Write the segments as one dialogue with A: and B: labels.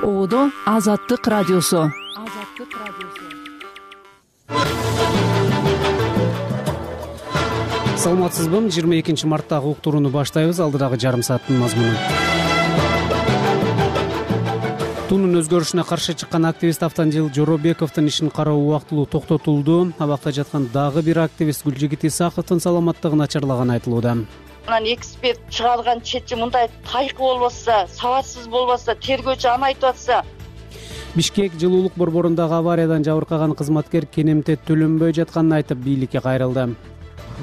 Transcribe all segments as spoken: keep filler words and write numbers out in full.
A: Оодо Азаттык радиосу.
B: Саламатсызбы? жыйырма экинчи марттагы уктурууну баштайбыз. Алдыдагы жарым сааттын мазмуну. Тунун өзгөрүшүнө каршы чыккан активист Автандил Жоробековдун ишин кароо убактылуу токтотулду. Абакта жаткан дагы бир активист Гүлжигит Исаховдун саламаттыгы начарлаганы айтылууда.
C: Анан эксперт чыгарган четчи мындай тайкы болбосо, сабатсыз болбосо, тергөөчү аны айтып атса.
B: Бишкек жылуулук борборундагы авариядан жабыркаган кызматкер кенемте төлөнбөй жатканын айтып бийликке кайрылды.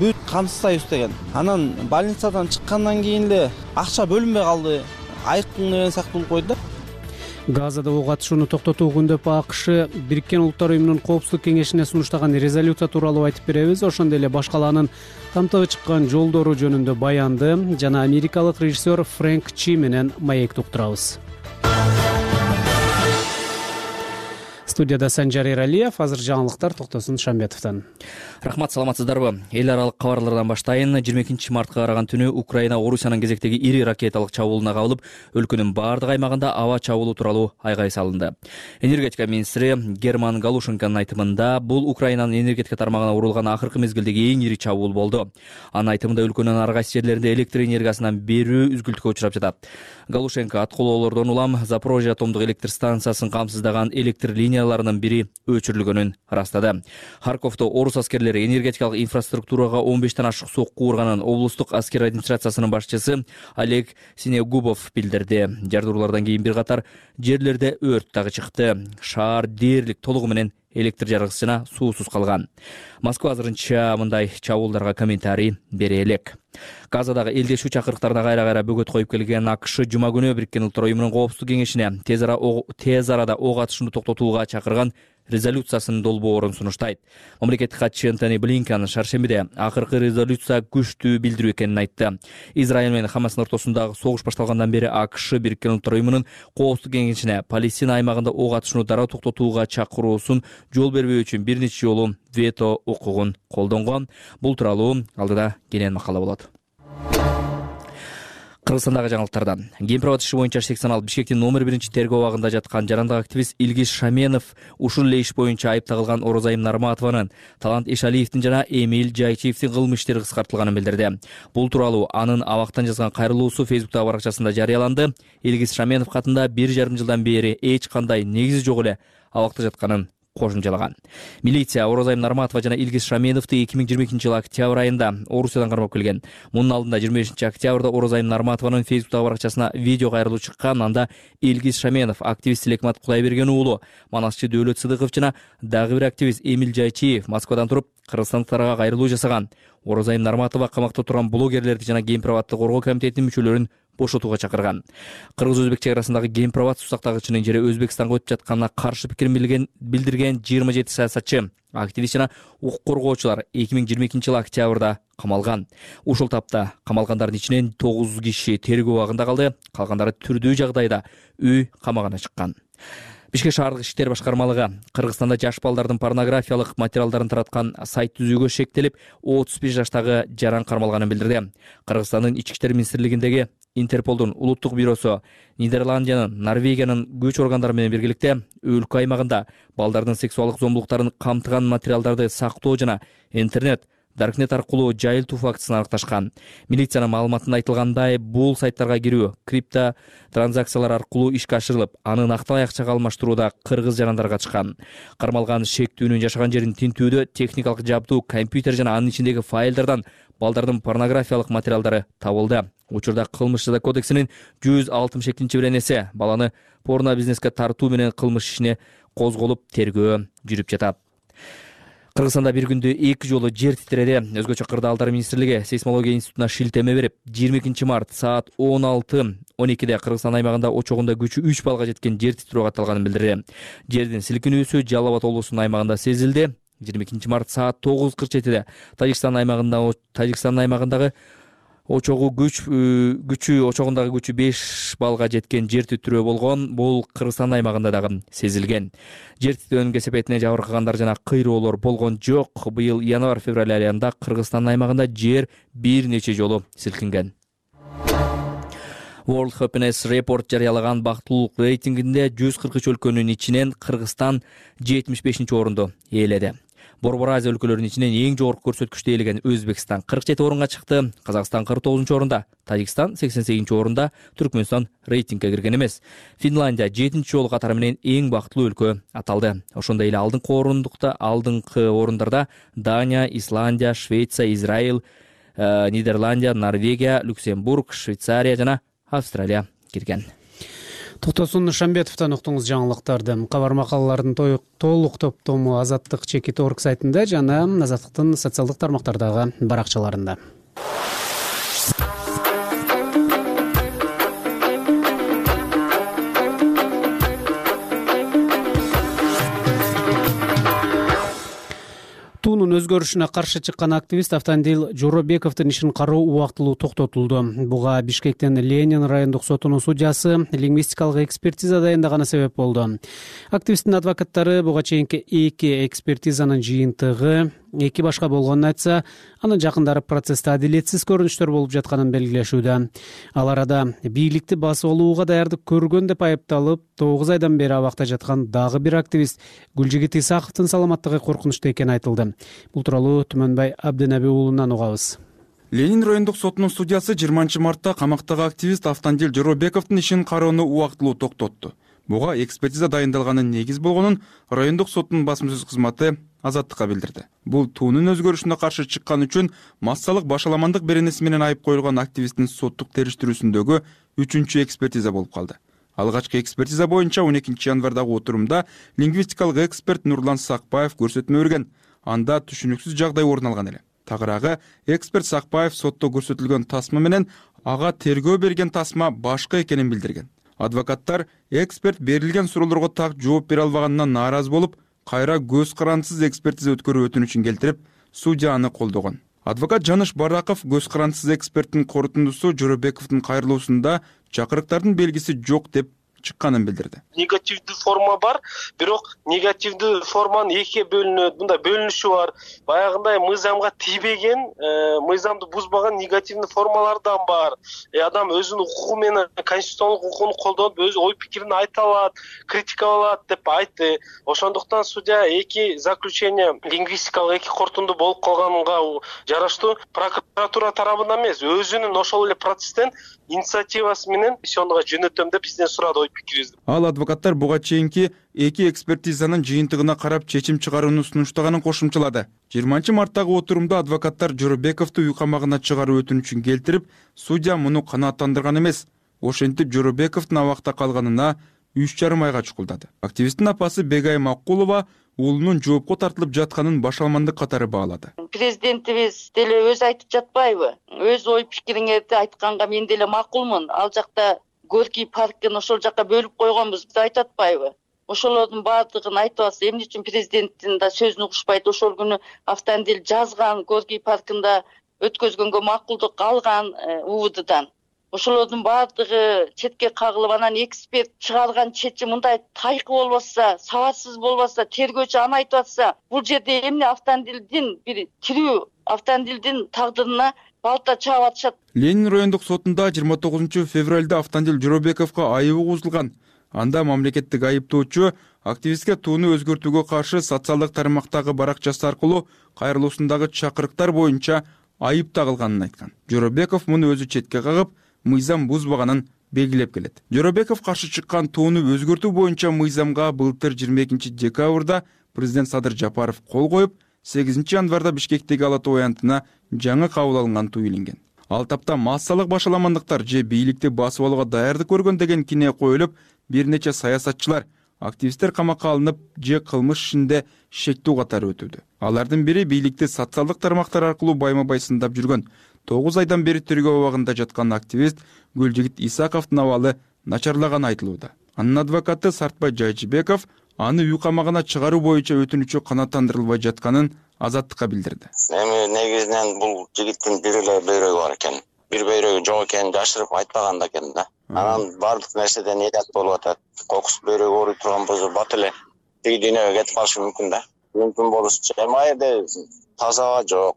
D: Бүт камсыздайбыз деген. Анан больницадан чыккандан кийин эле акча бөлүнбөй калды. Айыктын деген сыяктуу болуп койду да.
B: Газада ок атышууну токтотуу күндөп АКШ Бириккен Улуттар уюмунун коопсуздук кеңешине сунуштаган резолюция тууралуу айтып беребиз. Ошондой эле башкалаанын камтыгы чыккан жолдору жөнүндө баянды жана америкалык режиссер Фрэнк Чи менен маекти уктурабыз. Студияда Санжар Эралиев, азыр жаңылыктар Токтосун Шамбетовдон.
E: Рахмат, саламатсыздарбы? Эл аралык кабарлардан баштайын. жыйырма экинчи мартка караган түнү Украина Орусиянын кезектеги ири ракеталык чабуулуна кабылып, өлкөнүн бардык аймагында аба чабуулу тууралуу айгай салынды. Энергетика министри Герман Галушенконун айтымында бул Украинанын энергетика тармагына урулган акыркы мезгилдеги эң ири чабуул болду. Анын айтымында өлкөнүн ар кайсы жерлеринде электр энергиясынан берүү үзгүлтүккө учурап жатат. Галушенко аткылоолордон улам Запорожье атомдук электр станциясын камсыздаган электр линияларынын бири өчүрүлгөнүн ырастады. Харьковдо орус аскерлери энергетикалык инфраструктурага он бештен ашык сокку урганын облустук аскер администрациясынын башчысы Олег Синегубов билдирди. Жардыруулардан кийин бир катар жерлерде өрт дагы чыкты. Шаар дээрлик толугу менен электр жарыгысыз жана суусуз калган. Москва азырынча мындай чабуулдарга комментарий бере элек. Газадагы элдешүү чакырыктарына кайра-кайра бөгөт коюп келген АКШ жума күнү Бириккен Улуттар уюмунун коопсуздук кеңешине тез арада ок атышууну токтотууга чакырган резолюциясынын долбоорун сунуштайт. Мамлекеттик катчы Антони Блинкен шаршембиде акыркы резолюция күчтүү билдирүү экенин айтты. Израиль менен Хамастын ортосундагы согуш башталгандан бери АКШ Бириккен Улуттар уюмунун коопсуздук кеңешине Палестина аймагында ок атышууну дароо токтотууга чакыруусун жол бербөө үчүн бир нече жолу вето укугун колдонгон. Бул тууралуу алдыда кенен макала болот. Кыргызстандагы жаңылыктардан. Гемпровод иши боюнча сексен алты Бишкектин номер биринчи тергөө абагында жаткан жарандык активист Илгиз Шаменов ушул эле иш боюнча айып тагылган Орозайым Нарматованын, Талант Эшалиевдин жана Эмиль Жайчиевдин кылмыш иштери кыскартылганын билдирди. Бул тууралуу анын абактан жазган кайрылуусу Фейсбуктагы баракчасында жарыяланды. Илгиз Шаменов катында бир жарым жылдан бери эч кандай негизи жок эле абакта жатканын кошумчалаган. Милиция Орозайым Нарматова жана Илгиз Шаменовду эки миң жыйырма экинчи жылы октябрь айында Орусиядан кармап келген. Мунун алдында жыйырма бешинчи октябрда Орозайым Нарматованын Фейсбуктагы баракчасына видео кайрылуу чыккан. Анда Илгиз Шаменов, активист Лекмат Кудайберген уулу, манасчы Дөөлөт Сыдыков жана дагы бир активист Эмиль Жайчиев Москвадан туруп кыргызстандыктарга кайрылуу жасаган. Орозайым Нарматова камакта турган блогерлерди жана Гемпроводду коргоо комитетинин мүчөлөрүн бошотууга чакырган. Кыргыз-өзбек чек арасындагы Гемпровод сусактагычынын жери Өзбекстанга өтүп жатканына каршы пикирин билдирген жыйырма жети саясатчы, активист жана укук коргоочулар эки миң жыйырма экинчи жылы октябрда камалган. Ушул тапта камалгандардын ичинен тогуз киши тергөө абагында калды, калгандары түрдүү жагдайда үй камагына чыккан. Бишкек шаардык иштер башкармалыгы Кыргызстанда жаш балдардын порнографиялык материалдарын тараткан сайт түзүүгө шектелип, отуз беш жаштагы жаран кармалганын билдирди. Кыргызстандын ички иштер министрлигиндеги Интерполдун улуттук бюросу Нидерландиянын, Норвегиянын күч органдары менен биргеликте өлкө аймагында балдардын сексуалдык зомбулуктарын камтыган материалдарды сактоо жана интернет Даркнет аркылуу жайылтуу фактысын аныкташкан. Милициянын маалыматында айтылгандай, бул сайттарга кирүү крипто транзакциялар аркылуу ишке ашырылып, аны накталай акчага алмаштырууда кыргыз жарандар катышкан. Кармалган шектүүнүн жашаган жерин тинтүүдө техникалык жабдуу, компьютер жана анын ичиндеги файлдардан балдардын порнографиялык материалдары табылды. Учурда кылмыш жаза кодексинин жүз алтымыш экинчи беренеси баланы порно бизнеске тартуу менен кылмыш ишине козголуп, тергөө жүрүп жатат. Кыргызстанда бир күндө эки жолу жер титиреди. Өзгөчө Кырдаалдар министрлиги сейсмология институтуна шилтеме берип, жыйырма экинчи март саат он алты он экиде Кыргызстан аймагында очогунда күчү үч баллга жеткен жер титирөө катталганын билдирди. Жердин силкинүүсү Жалал Абад облусунун аймагында сезилди. жыйырма экинчи март саат тогуз кырк жетиде Тажикстан аймагында Тажикстан аймагындагы очогу күч күчү очогундагы күчү беш балга жеткен жер титирөө болгон. Бул Кыргызстан аймагында дагы сезилген. Жер титирөөнүн кесепетине жабыркагандар жана кыйроолор болгон жок. Быйыл январь-февраль айында Кыргызстан аймагында жер бир нече жолу силкинген. World Happiness Report жарыялаган бактылуулук рейтингинде жүз кырк үч өлкөнүн ичинен Кыргызстан жетимиш бешинчи орунду ээледи. Борбор Азия өлкөлөрүнүн ичинен эң жогорку көрсөткүчтү ээлеген Өзбекстан кырк жети орунга чыкты, Казакстан кырк тогузунчу орунда, Тажикстан сексен сегизинчи орунда, Түркмөнстан рейтингге кирген эмес. Финляндия жетинчи жолу катары менен эң бактылуу өлкө аталды. Ошондой эле алдыңкы орундукта, алдыңкы орундарда Дания, Исландия, Швеция, Израиль, Нидерландия, Норвегия, Люксембург, Швейцария жана Австралия кирген.
B: Токтосун Шамбетовдон уктуңуз жаңылыктарды. Кабар макалалардын толук топтому Азаттык чекит точка орг сайтында жана Азаттыктын социалдык тармактардагы баракчаларында. Туунун өзгөрүшүнө каршы чыккан активист Автандил Жоробековдун ишин кароо убактылуу токтотулду. Буга Бишкектен Ленин райондук сотунун судьясы лингвистикалык экспертиза даярдаганы себеп болду. Активисттин адвокаттары буга чейинки эки экспертизанын жыйынтыгы эки башка болгонун айтса, анын жакындары процессте адилетсиз көрүнүштөр болуп жатканын белгилешүүдө. Ал арада бийликти басып алууга даярдык көргөн деп айыпталып, тогуз айдан бери абакта жаткан дагы бир активист Гүлжигит Исаковдун саламаттыгы коркунучта экени айтылды. Бул тууралуу Түмөнбай Абденаби уулунан угабыз.
F: Ленин райондук сотунун судьясы жыйырманчы мартта камактагы активист Автандил Жоробековдун ишин кароону убактылуу токтотту. Буга экспертиза дайындалганын негиз болгонун райондук соттун басма-сөз кызматы Азаттыкка билдирди. Бул туунун өзгөрүшүнө каршы чыккан үчүн массалык башаламандык беренеси менен айып коюлган активисттин соттук териштирүүсүндөгү үчүнчү экспертиза болуп калды. Алгачкы экспертиза боюнча он экинчи январдагы отурумда лингвистикалык эксперт Нурлан Сакпаев көрсөтмө берген. Анда түшүнүксүз жагдай орун алган эле. Тагыраагы эксперт Сакпаев сотто көрсөтүлгөн тасма менен ага тергөө берген тасма башка экенин билдирген. Адвокаттар эксперт берилген суроолорго так жооп бере албаганынан нааразы болуп, кайра көз карандысыз экспертиза өткөрүү өтүнүчүн келтирип, судья аны колдогон. Адвокат Жаныш Бараков көз карандысыз эксперттин корутундусу Жоробековдун кайрылуусунда чакырыктардын белгиси жок деп чыкканын билдирди.
G: Негативдүү форма бар, бирок негативдүү форманын экиге бөлүнөт. Мында бөлүнүшү бар. Баягындай мыйзамга тийбеген, мыйзамды бузбаган негативдүү формалар да бар. Адам өзүнүн укугу менен конституциялык укугун колдонуп, өз ой пикирин айта алат, критикалай алат деп айтты. Ошондуктан судья эки заключение лингвистикалык эки корутунду болуп калганга жараштуу прокуратура тарабынан эмес, өзүнүн ошол эле процесстен инициативасы менен ишонуга жөнөтөм деп бизден сурады.
F: Ал адвокаттар буга чейинки эки экспертизанын жыйынтыгына карап чечим чыгарууну сунуштаганын кошумчалады. жыйырманчы марттагы отурумда адвокаттар Жоробековду үй камагына чыгаруу өтүнүчүн келтирип, судья муну канааттандырган эмес. Ошентип Жоробековдун абакта калганына үч жарым айга чукулдады. Активисттин апасы Бегай Макулова уулунун жоопко тартылып жатканын башаламандык катары баалады.
C: Президентибиз деле өзү айтып жатпайбы? Өз ой пикириңерди айтканга мен деле макулмун. Ал жакта Горький паркын ошол жакка бөлүп койгонбуз деп айтып атпайбы? Ошолордун баардыгын айтып атса, эмне үчүн президенттин да сөзүн угушпайт? Ошол күнү Автандил жазган, Горький паркында өткөзгөнгө макулдук алган УВДдан. Ошолордун баардыгы четке кагылып, анан эксперт чыгарган чечим мындай тайкы болбосо, сабатсыз болбосо, тергөөчү аны айтып атса, бул жерде эмне Автандилдин бир тирүү Автандилдин тагдырына балта чаап атышат.
F: Ленин райондук сотунда жыйырма тогузунчу февралда Автандил Жоробековго айыбы козулган. Анда мамлекеттик айыптоочу активистке тууну өзгөртүүгө каршы социалдык тармактагы баракчасы аркылуу кайрылуусундагы чакырыктар боюнча айып тагылганын айткан. Жоробеков муну өзү четке кагып, мыйзам бузбаганын белгилеп келет. Жоробеков каршы чыккан тууну өзгөртүү боюнча мыйзамга былтыр жыйырма экинчи декабрда президент Садыр Жапаров кол коюп, сегизинчи январда Бишкектеги Ала Тоо аянтына жаңы кабыл алынган туу илинген. Ал тапта массалык башаламандыктар же бийликти басып алууга даярдык көргөн деген кине коюлуп, бир нече саясатчылар, активисттер камакка алынып, же кылмыш ишинде шектүү катары өтүүдө. Алардын бири бийликти социалдык тармактар аркылуу байма-бай сындап жүргөн тогуз айдан бери тергөө абагында жаткан активист Гүлжигит Исаковдун абалы начарлаганы айтылууда. Анын адвокаты Сартбай Жайчыбеков аны үй камагына чыгаруу боюнча өтүнүчү канааттандырылбай жатканын Азаттыкка билдирди.
H: Эми негизинен бул жигиттин бир эле бөйрөгү бар экен. Бир бөйрөгү жок экенин жашырып айтпаган да экен да. Анан баардык нерседен элят болуп атат. Кокус бөйрөгү ооруй турган болсо бат эле тиги дүйнөгө кетип калышы мүмкүн да. Мүмкүн болушучу. Эми айда таза аба жок,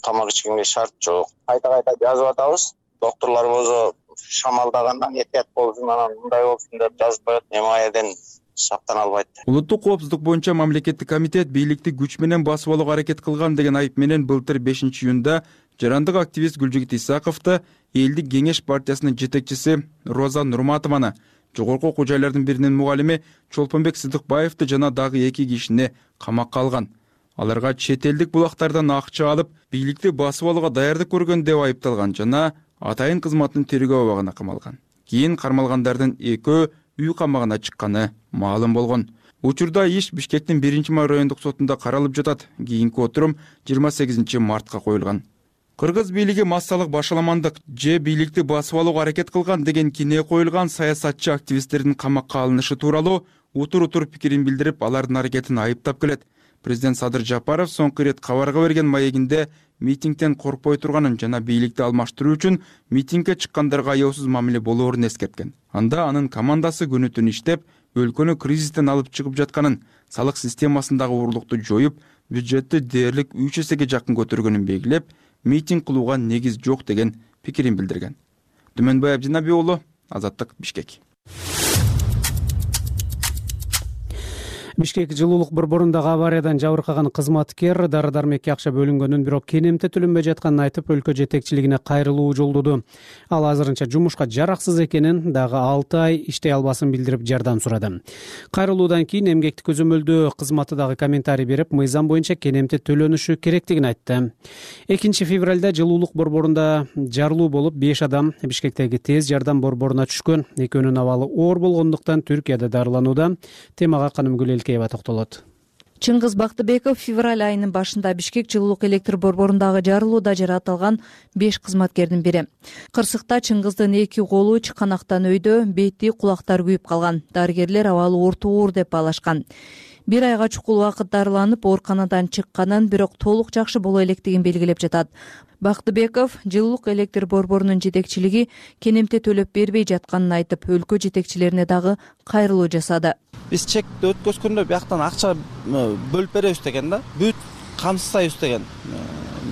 H: тамак ичкенге шарт жок. Кайта кайта жазып атабыз. Докторлор болсо шамалдагандан этият болсун, анан мындай болсун деп жазып коет. Эмаеден сактана албайт.
F: Улуттук коопсуздук боюнча мамлекеттик комитет бийликти күч менен басып алууга аракет кылган деген айып менен былтыр бешинчи июнда жарандык активист Гүлжигит Исаковду Элдик кеңеш партиясынын жетекчиси Роза Нурматованы, жогорку окуу жайлардын биринин мугалими Чолпонбек Сыдыкбаевди жана дагы эки кишини камакка алган. Аларга чет элдик булактардан акча алып, бийликти басып алууга даярдык көргөн деп айыпталган жана атайын кызматтын тергөө абагына камалган. Кийин кармалгандардын экөө үй камагына чыкканы маалым болгон. Учурда иш Бишкектин биринчи май райондук сотунда каралып жатат. Кийинки отурум жыйырма сегизинчи мартка коюлган. Кыргыз бийлиги массалык башаламандык же бийликти басып алууга аракет кылган деген кине коюлган саясатчы активисттердин камакка алынышы тууралуу утур-утур пикирин билдирип, алардын аракетин айыптап келет. Президент Садыр Жапаров соңку ирет кабарга берген маегинде митингден коркпой турганын жана бийликти алмаштыруу үчүн митингге чыккандарга аяосуз мамиле болоорун эскерткен. Анда анын командасы күнү түн иштеп, өлкөнү кризистен алып чыгып жатканын, салык системасындагы уурулукту жоюп, бюджетти дээрлик үч эсеге жакын көтөргөнүн белгилеп, митинг кылууга негиз жок деген пикирин билдирген. Түмөнбай Абдинаби уулу, Азаттык, Бишкек.
B: Бишкек жылуулук борборундагы авариядан жабыркаган кызматкер дары-дармекке акча бөлүнгөнүн, бирок кенемте төлөнбөй жатканын айтып, өлкө жетекчилигине кайрылуу жолдоду. Ал азырынча жумушка жараксыз экенин, дагы алты ай иштей албасын билдирип жардам сурады. Кайрылуудан кийин эмгекти көзөмөлдөө кызматы дагы комментарий берип, мыйзам боюнча кенемте төлөнүшү керектигин айтты. экинчи февралда жылуулук борборунда жарылуу болуп, беш адам Бишкектеги тез жардам борборуна түшкөн. Экөөнүн абалы оор болгондуктан Түркияда дарыланууда. Темага Канымгүл токтолот.
A: Чыңгыз Бактыбеков февраль айынын башында Бишкек жылуулук электр борборундагы жарылууда жаратылган беш кызматкердин бири. Кырсыкта Чыңгыздын эки колу чыканактан өйдө, бети, кулактары күйүп калган. Дарыгерлер абалы орто оор деп баалашкан. Бир айга чукул убакыт дарыланып, ооруканадан чыкканын, бирок толук жакшы боло электигин белгилеп жатат. Бактыбеков жылуулук электр борборунун жетекчилиги кенемте төлөп бербей жатканын айтып, өлкө жетекчилерине дагы кайрылуу жасады.
D: Биз чекти өткөзгөндө бияктан акча бөлүп беребиз деген да, бүт камсыздайбыз деген.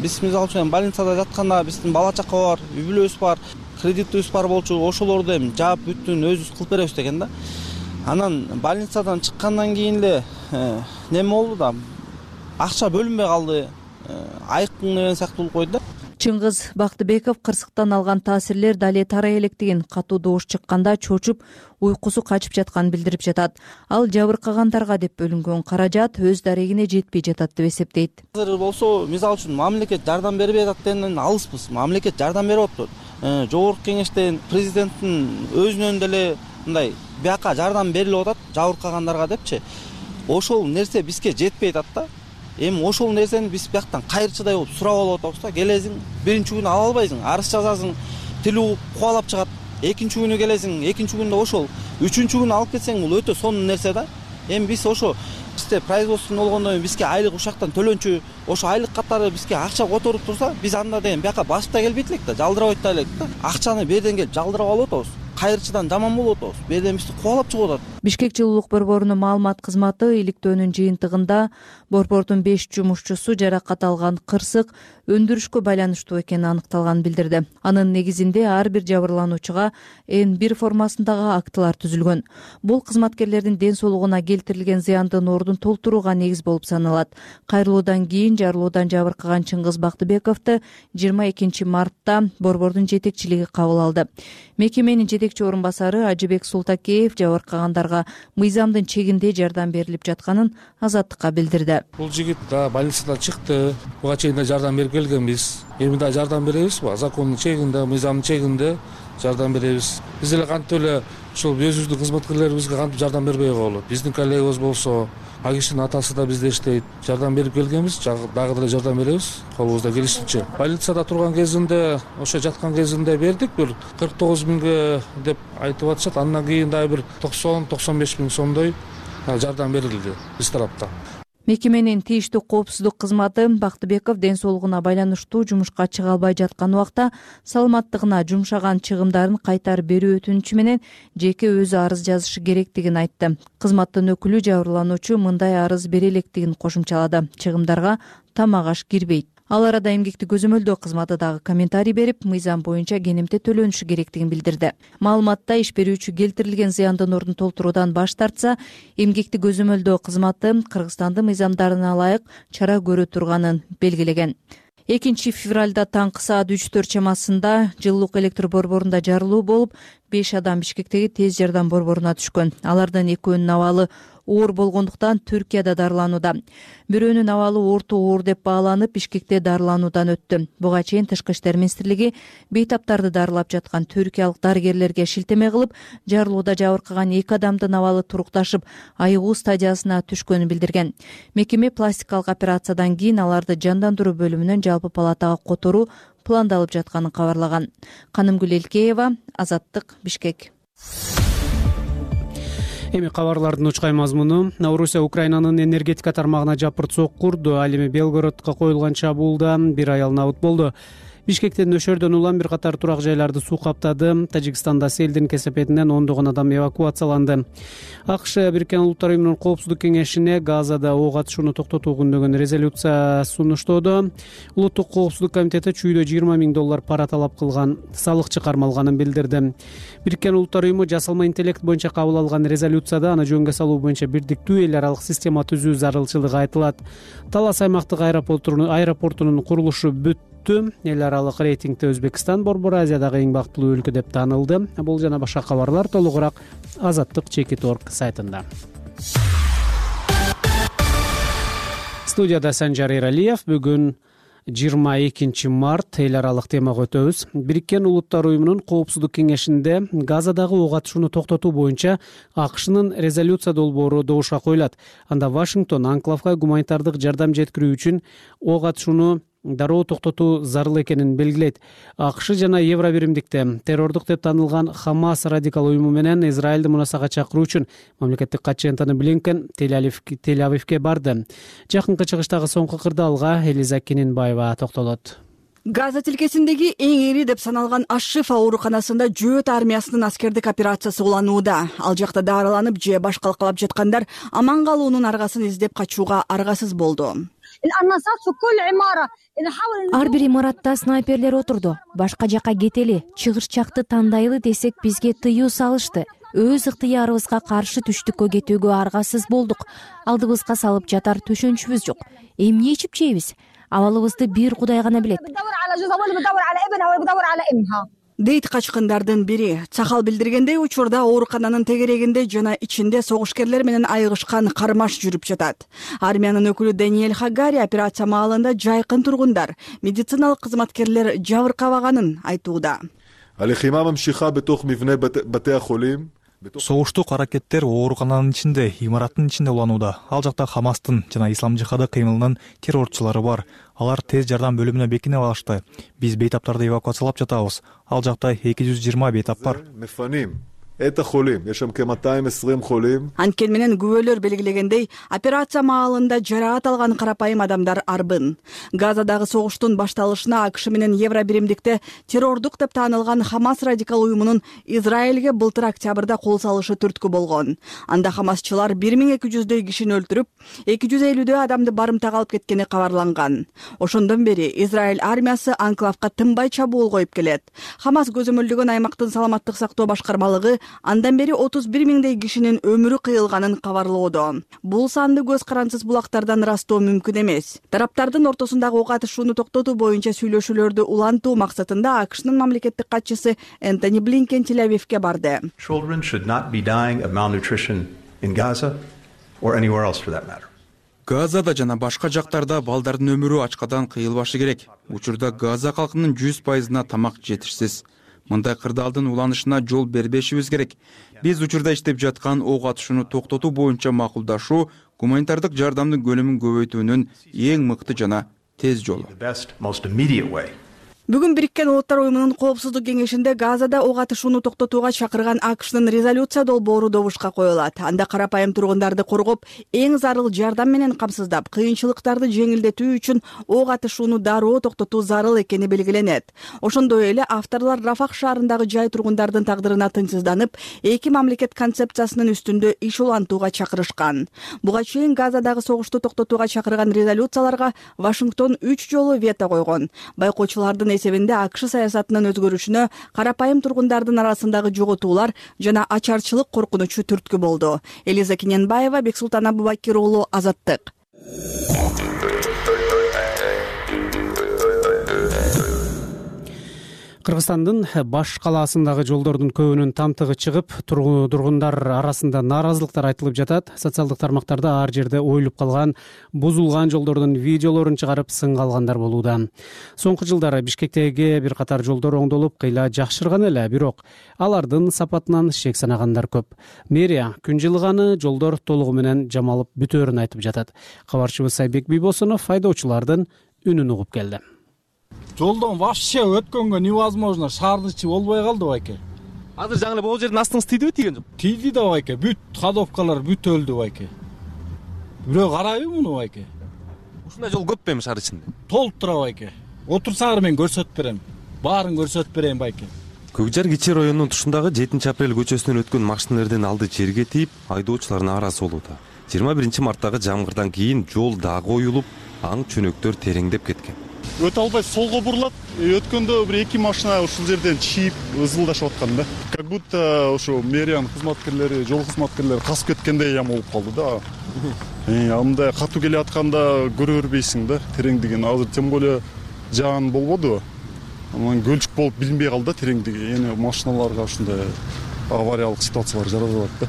D: Биз мисалы үчүн больницада жатканда биздин бала чака бар, үй бүлөбүз бар, кредитибиз бар болчу, ошолорду эми жаап бүттүн өзүбүз кылып беребиз деген да. Анан больницадан чыккандан кийин эле неме болду да, акча бөлүнбөй калды, айкын деген сыяктуу болуп койду да.
A: Чыңгыз Бактыбеков кырсыктан алган таасирлер дале тарай электигин, катуу добуш чыкканда чочуп, уйкусу качып жатканын билдирип жатат. Ал жабыркагандарга деп бөлүнгөн каражат өз дарегине жетпей жатат деп эсептейт.
D: Азыр болсо, мисалы үчүн мамлекет жардам бербей жатат дегенден алыспыз. Мамлекет жардам берип атат. Жогорку кеңештен президенттин өзүнөн деле мындай бияка жардам берилип атат жабыркагандарга депчи. Ошол нерсе бизге жетпей атат да. Эми ошол нерсени биз бияктан кайрчыдай болуп сурап алып атабыз да. Келесиң, биринчи күнү ала албайсың, арыз жазасың, тил угуп кубалап чыгат. Экинчи күнү келесиң, экинчи күндө ошол. Үчүнчү күнү алып кетсең, бул өтө сонун нерсе да. Эми биз ошо бизде производство болгондон кийин бизге айлык ушактан төлөнчү, ошо айлык катары бизге акча которуп турса, биз анда деген бияка басып да келбейт элек да, жалдырабайт да элек да. Акчаны берден келип жалдырап алып атабыз. Кайрчыдан жаман болуп атабыз. Берден бизди кубалап чыгып атат.
A: Бишкек жылуулук борборунун маалымат кызматы иликтөөнүн жыйынтыгында борбордун беш жумушчусу жаракат алган, кырсык өндүрүшкө байланыштуу экени аныкталганын билдирди. Анын негизинде ар бир жабырлануучуга эн бир формасындагы актылар түзүлгөн. Бул кызматкерлердин ден соолугуна келтирилген зыяндын ордун толтурууга негиз болуп саналат. Кайрылуудан кийин жарылуудан жабыркаган Чыңгыз Бактыбековду жыйырма экинчи мартта борбордун жетекчилиги кабыл алды. Мекеменин жетекчи орун басары Ажыбек Султакеев жабыркагандарга мыйзамдын чегинде жардам берилип жатканын Азаттыкка билдирди.
I: Бул жигит да больницадан чыкты, буга чейин да жардам берип келгенбиз. Эми да жардам беребиз, закондун чегинде, мыйзамдын чегинде жардам беребиз. Биз эле кантип эле ушул өзүбүздүн кызматкерлерибизге кантип жардам бербей болот. Биздин коллегабыз болсо, ал кишинин атасы да бизде иштейт. Жардам берип келгенбиз, дагы деле жардам беребиз, колубузда келишинче. Больницада турган кезинде, ошо жаткан кезинде бердик, бир кырк тогуз миңге деп айтып атышат. Андан кийин дагы бир токсон токсон беш миң сомдой жардам берилди биз тараптан.
A: Мекеменин тийиштүү коопсуздук кызматы Бактыбеков ден соолугуна байланыштуу жумушка чыга албай жаткан убакта саламаттыгына жумшаган чыгымдарын кайтарып берүү өтүнүчү менен жеке өзү арыз жазышы керектигин айтты. Кызматтын өкүлү жабырлануучу мындай арыз бере электигин кошумчалады. Чыгымдарга тамак аш кирбейт. Ал арада эмгекти көзөмөлдөө кызматы дагы комментарий берип, мыйзам боюнча кенемте төлөнүшү керектигин билдирди. Маалыматта иш берүүчү келтирилген зыяндын ордун толтуруудан баш тартса, эмгекти көзөмөлдөө кызматы Кыргызстандын мыйзамдарына ылайык чара көрө турганын белгилеген. экинчи февралда таңкы саат үч төрт чамасында жылуулук электр борборунда жарылуу болуп, беш адам Бишкектеги тез жардам борборуна түшкөн. Алардын экөөнүн абалы оор болгондуктан Түркияда дарыланууда. Бирөөнүн абалы орто оор деп бааланып, Бишкекте дарылануудан өттү. Буга чейин Тышкы иштер министрлиги бейтаптарды дарылап жаткан түркиялык дарыгерлерге шилтеме кылып, жарылууда жабыркаган эки адамдын абалы турукташып, айыгуу стадиясына түшкөнүн билдирген. Мекеме пластикалык операциядан кийин аларды жандандыруу бөлүмүнөн жалпы палатага которуу пландалып жатканын кабарлаган. Канымгүл Элкеева, Азаттык, Бишкек.
B: Эми кабарлардын учкай мазмуну. Орусия Украинанын энергетика тармагына жапырт курду. Ал эми Белгородко коюлган чабуулда бир аял набыт болду. Бишкектен нөшөрдөн улам бир катар турак жайларды суу каптады. Тажикстанда селдин кесепетинен ондогон адам эвакуацияланды. АКШ Бириккен Улуттар уюмунун Коопсуздук кеңешине Газада ок атышууну токтотуу күндөгөн резолюция сунуштоодо. Улуттук коопсуздук комитети чүйдө жыйырма миң доллар пара талап кылган салыкчы кармалганын билдирди. Бириккен Улуттар уюму жасалма интеллект боюнча кабыл алган резолюцияда аны жөнгө салуу боюнча бирдиктүү эл аралык система түзүү зарылчылыгы айтылат. Талас аймактык аэропортунун курулушу бүт эл аралык рейтингде Өзбекстан Борбор Азиядагы эң бактылуу өлкө деп таанылды. Бул жана башка кабарлар толугураак Азаттык чекит точка орг сайтында. Студияда Санжар Эралиев. Бүгүн жыйырма экинчи март эл аралык темага өтөбүз. Бириккен Улуттар уюмунун Коопсуздук кеңешинде Газадагы ок атышууну токтотуу боюнча АКШнын резолюция долбоору добушка коюлат. Анда Вашингтон анклавга гуманитардык жардам жеткирүү үчүн ок атышууну дароо токтотуу зарыл экенин белгилейт. АКШ жана Евробиримдикте террордук деп танылган Хамас радикал уюму менен Израилди мунасага чакыруу үчүн мамлекеттик катчы Энтони Блинкен Тель-Авивге барды. Жакынкы чыгыштагы соңку кырдаалга Элиза Кининбаева токтолот.
J: Газа тилкесиндеги эң ири деп саналган Аш-Шифа ооруканасында жөөт армиясынын аскердик операциясы уланууда. Ал жакта дарыланып же баш калкалап жаткандар аман калуунун аргасын издеп качууга аргасыз болду.
K: Ар бир имаратта снайперлер отурду. Башка жака кетели, чыгышчакты тандайлы десек бизге тыюу салышты. Өз ыктыярыбызга каршы түштүккө кетүүгө аргасыз болдук. Алдыбызга салып жатар төшөнчүбүз жок. Эмне ичип жейбиз? Абалыбызды бир Кудай гана билет.
J: Дейт качкындардын бири. Цахал билдиргендей, учурда оорукананын тегерегинде жана ичинде согушкерлер менен айыгышкан кармаш жүрүп жатат. Армиянын өкүлү Даниэль Хагари операция маалында жайкын тургундар, медициналык кызматкерлер жабыркабаганын айтууда.
L: Согуштук аракеттер оорукананын ичинде, имараттын ичинде уланууда. Ал жакта Хамастын жана Ислам жихады кыймылынын террорчулары бар. Алар тез жардам бөлүмүнө бекинип алышты. Биз бейтаптарды эвакуациялап жатабыз. Ал жакта эки жүз жыйырма бейтап бар.
J: Анткени менен күбөлөр белгилегендей, операция маалында жараат алган карапайым адамдар арбын. Газадагы согуштун башталышына АКШ менен Евробиримдикте террордук деп таанылган Хамас радикал уюмунун Израилге былтыр октябрда кол салышы түрткү болгон. Анда хамасчылар бир миң эки жүздөй кишини өлтүрүп, эки жүз элүүдөй адамды барымтага алып кеткени кабарланган. Ошондон бери Израиль армиясы анклавга тынбай чабуул коюп келет. Хамас көзөмөлдөгөн аймактын саламаттык сактоо башкармалыгы андан бери отуз бир миңдей кишинин өмүрү кыйылганын кабарлоодо. Бул санды көз карансыз булактардан ырастоо мүмкүн эмес. Тараптардын ортосундагы ок атышууну токтотуу боюнча сүйлөшүүлөрдү улантуу максатында АКШнын мамлекеттик катчысы Энтони Блинкен Тель-Авивге барды.
M: Children should not be dying of malnutrition in Gaza or anywhere else for that matter.
F: Газада жана башка жактарда балдардын өмүрү ачкадан кыйылбашы керек. Учурда Газа калкынын жүз пайызына тамак жетишсиз. Мындай кырдаалдын уланышына жол бербешибиз керек. Биз учурда иштеп жаткан ок атышууну токтотуу боюнча макулдашуу гуманитардык жардамдын көлөмүн көбөйтүүнүн эң мыкты жана тез жолу.
J: Бүгүн Бириккен Улуттар уюмунун Коопсуздук кеңешинде Газада ок атышууну токтотууга чакырган АКШнын резолюция долбоору добушка коюлат. Анда карапайым тургундарды коргоп, эң зарыл жардам менен камсыздап, кыйынчылыктарды жеңилдетүү үчүн ок атышууну дароо токтотуу зарыл экени белгиленет. Ошондой эле авторлор Рафах шаарындагы жай тургундардын тагдырына тынчсызданып, эки мамлекет концепциясынын үстүндө иш улантууга чакырышкан. Буга чейин Газадагы согушту токтотууга чакырган резолюцияларга Вашингтон үч жолу вето койгон. Байкоочулардын эсебинде АКШ саясатынын өзгөрүшүнө карапайым тургундардын арасындагы жоготуулар жана ачарчылык коркунучу түрткү болду. Элиза Кененбаева, Бексултан Абубакир уулу, Азаттык.
B: Кыргызстандын баш калаасындагы жолдордун көбүнүн тамтыгы чыгып, тургундар арасында нааразылыктар айтылып жатат. Социалдык тармактарда ар жерде оюлуп калган, бузулган жолдордун видеолорун чыгарып сынга алгандар болууда. Соңку жылдары Бишкектеги бир катар жолдор оңдолуп, кыйла жакшырган эле, бирок алардын сапатынан шек санагандар көп. Мэрия күн жылыганы жолдор толугу менен жамалып бүтөөрүн айтып жатат. Кабарчыбыз Айбек Бийбосунов айдоочулардын үнүн угуп келди.
N: Жолдон вообще өткөнгө невозможно, шаардын ичи болбой калды байке.
O: Азыр жаңы эле могу жердин астыңыз тийдиби, тийген жок?
N: Тийди да байке, бүт ходовкалар бүт өлдү байке. Бирөө карайбы муну байке?
O: Ушундай жол көп эми шаар ичинде?
N: Толуп тура байке. Отурсаңар мен көрсөтүп берем. Баарын көрсөтүп берейин байке.
O: Көкжар кичи районунун тушундагы жетинчи апрель көчөсүнөн өткөн машиналардын алды жерге тийип, айдоочулар нааразы болууда. жыйырма биринчи марттагы жамгырдан кийин жол дагы оюлуп, аң чөнөктөр тереңдеп кеткен.
P: Өтө албай солго бурулат. Өткөндө бир эки машина ушул жерден чийип ызылдашып аткан да. Как будто ошо мэриянын кызматкерлери, жол кызматкерлери касып кеткендей ям болуп калды да. Э, андай катуу келе атканда көрө бербейсиң да, тереңдигин. Азыр тем более жаан болбоду. Анан көлчүк болуп билинбей калды да тереңдиги. Эми машиналарга ушундай авариялык ситуациялар жаралып атат да.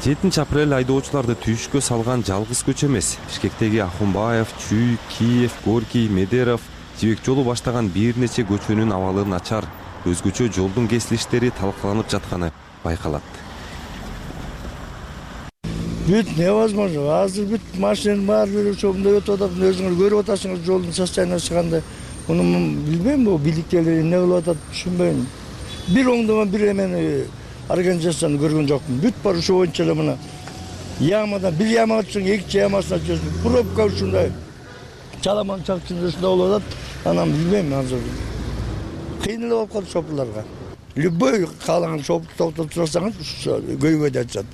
O: жетинчи апрель айдоочуларды түйүшкө салган жалгыз көчө эмес. Бишкектеги Ахунбаев, Чүй, Киев, Горький, Медеров, Жибек жолу баштаган бир нече көчөнүн абалы начар, өзгөчө жолдун кесилиштери талкаланып жатканы байкалат.
Q: Бүт невозможно. Азыр бүт машинанын баары ошондой өтүп атат. Өзүңөр көрүп атасыңыз жолдун состояниясы кандай. Муну билбейм, бу бийликтегилер эмне кылып атат, түшүнбөйм. Бир оңдомон бир эмени организацияны көргөн жокмун. Бүт бар ошо боюнча эле мына ямадан бир ямага түшүң, экинчи ямасына түшөсүң. Пробка ушундай чаламан чакчында ушундай болуп атат. Анан билбейм азыр. Кыйын эле болуп калды шопурларга. Любой каалаган шопурду токтотуп турсаңыз, көйгөй да айтышат.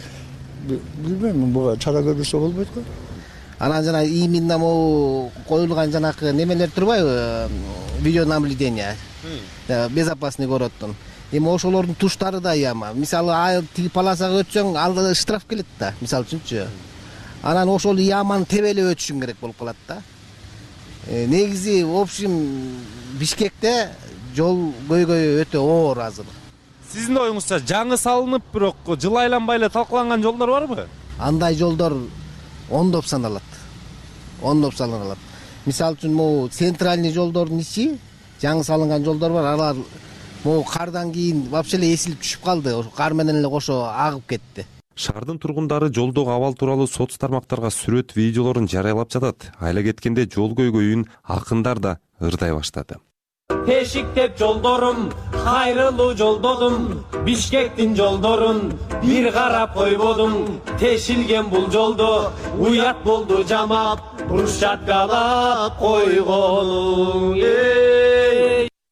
Q: Билбейм, буга чара көрбөсө болбойт го.
R: Анан жана именно могу коюлган жанакы немелер турбайбы? Видеонаблюдение. Безопасный городдун. Эми ошолордун туштары да яма. Мисалы, тиги полосага өтсөң, алда штраф келет да, мисалы үчүнчү. Анан ошол яманы тебелеп өтүшүң керек болуп калат да. Негизи, в общем, Бишкекте жол көйгөйү өтө оор азыр.
O: Сиздин оюңузча жаңы салынып, бирок жыл айланбай эле талкаланган жолдор барбы?
R: Андай жолдор ондоп саналат. Ондоп саналат. Мисалы үчүн, могу центральный жолдордун ичи, жаңы салынган жолдор бар, алар могу кардан кийин вообще эле эсилип түшүп калды. Кар менен эле кошо агып кетти.
O: Шаардын тургундары жолдогу абал тууралуу соц тармактарга сүрөт, видеолорун жарыялап жатат. Айла кеткенде жол көйгөйүн акындар да ырдай баштады.
S: Тешиктеп жолдорум, кайрылуу жолдодум, Бишкектин жолдорун бир карап койбодум. Тешилген бул жолдо уят болду жамап, брусчаткалап койгонуң.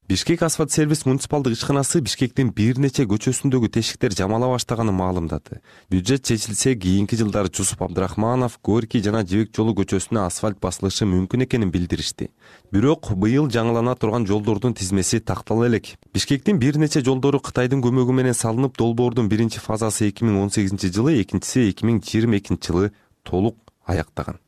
O: Бишкек асфальт сервис муниципалдык ишканасы Бишкектин бир нече көчөсүндөгү тешиктер жамала баштаганын маалымдады. Бюджет чечилсе, кийинки жылдары Жусуп Абдрахманов, Горький жана Жибек жолу көчөсүнө асфальт басылышы мүмкүн экенин билдиришти. Бирок быйыл жаңылана турган жолдордун тизмеси тактала элек. Бишкектин бир нече жолдору Кытайдын көмөгү менен салынып, долбоордун биринчи фазасы эки миң он сегизинчи жылы, экинчиси эки миң жыйырма экинчи жылы толук аяктаган.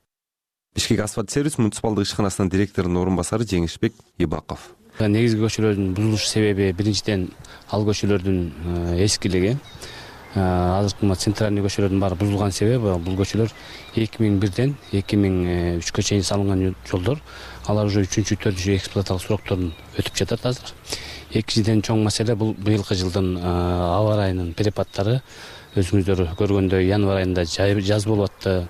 O: Бишкек асфальт сервис муниципалдык ишканасынын директорунун орун басары Жеңишбек Ибаков.
T: Негизги көчөлөрдүн бузулуш себеби биринчиден ал көчөлөрдүн эскилиги. Азыркы центральный көчөлөрдүн баары бузулган себеби бул көчөлөр эки миң бирден эки миң үчкө чейин салынган жолдор. Алар уже үчүнчү, төртүнчү эксплуатациялык срокторун өтүп жатат азыр. Экинчиден чоң маселе бул быйылкы жылдын аба ырайынын перепадтары. Өзүңүздөр көргөндөй январь айында жаз болуп атты.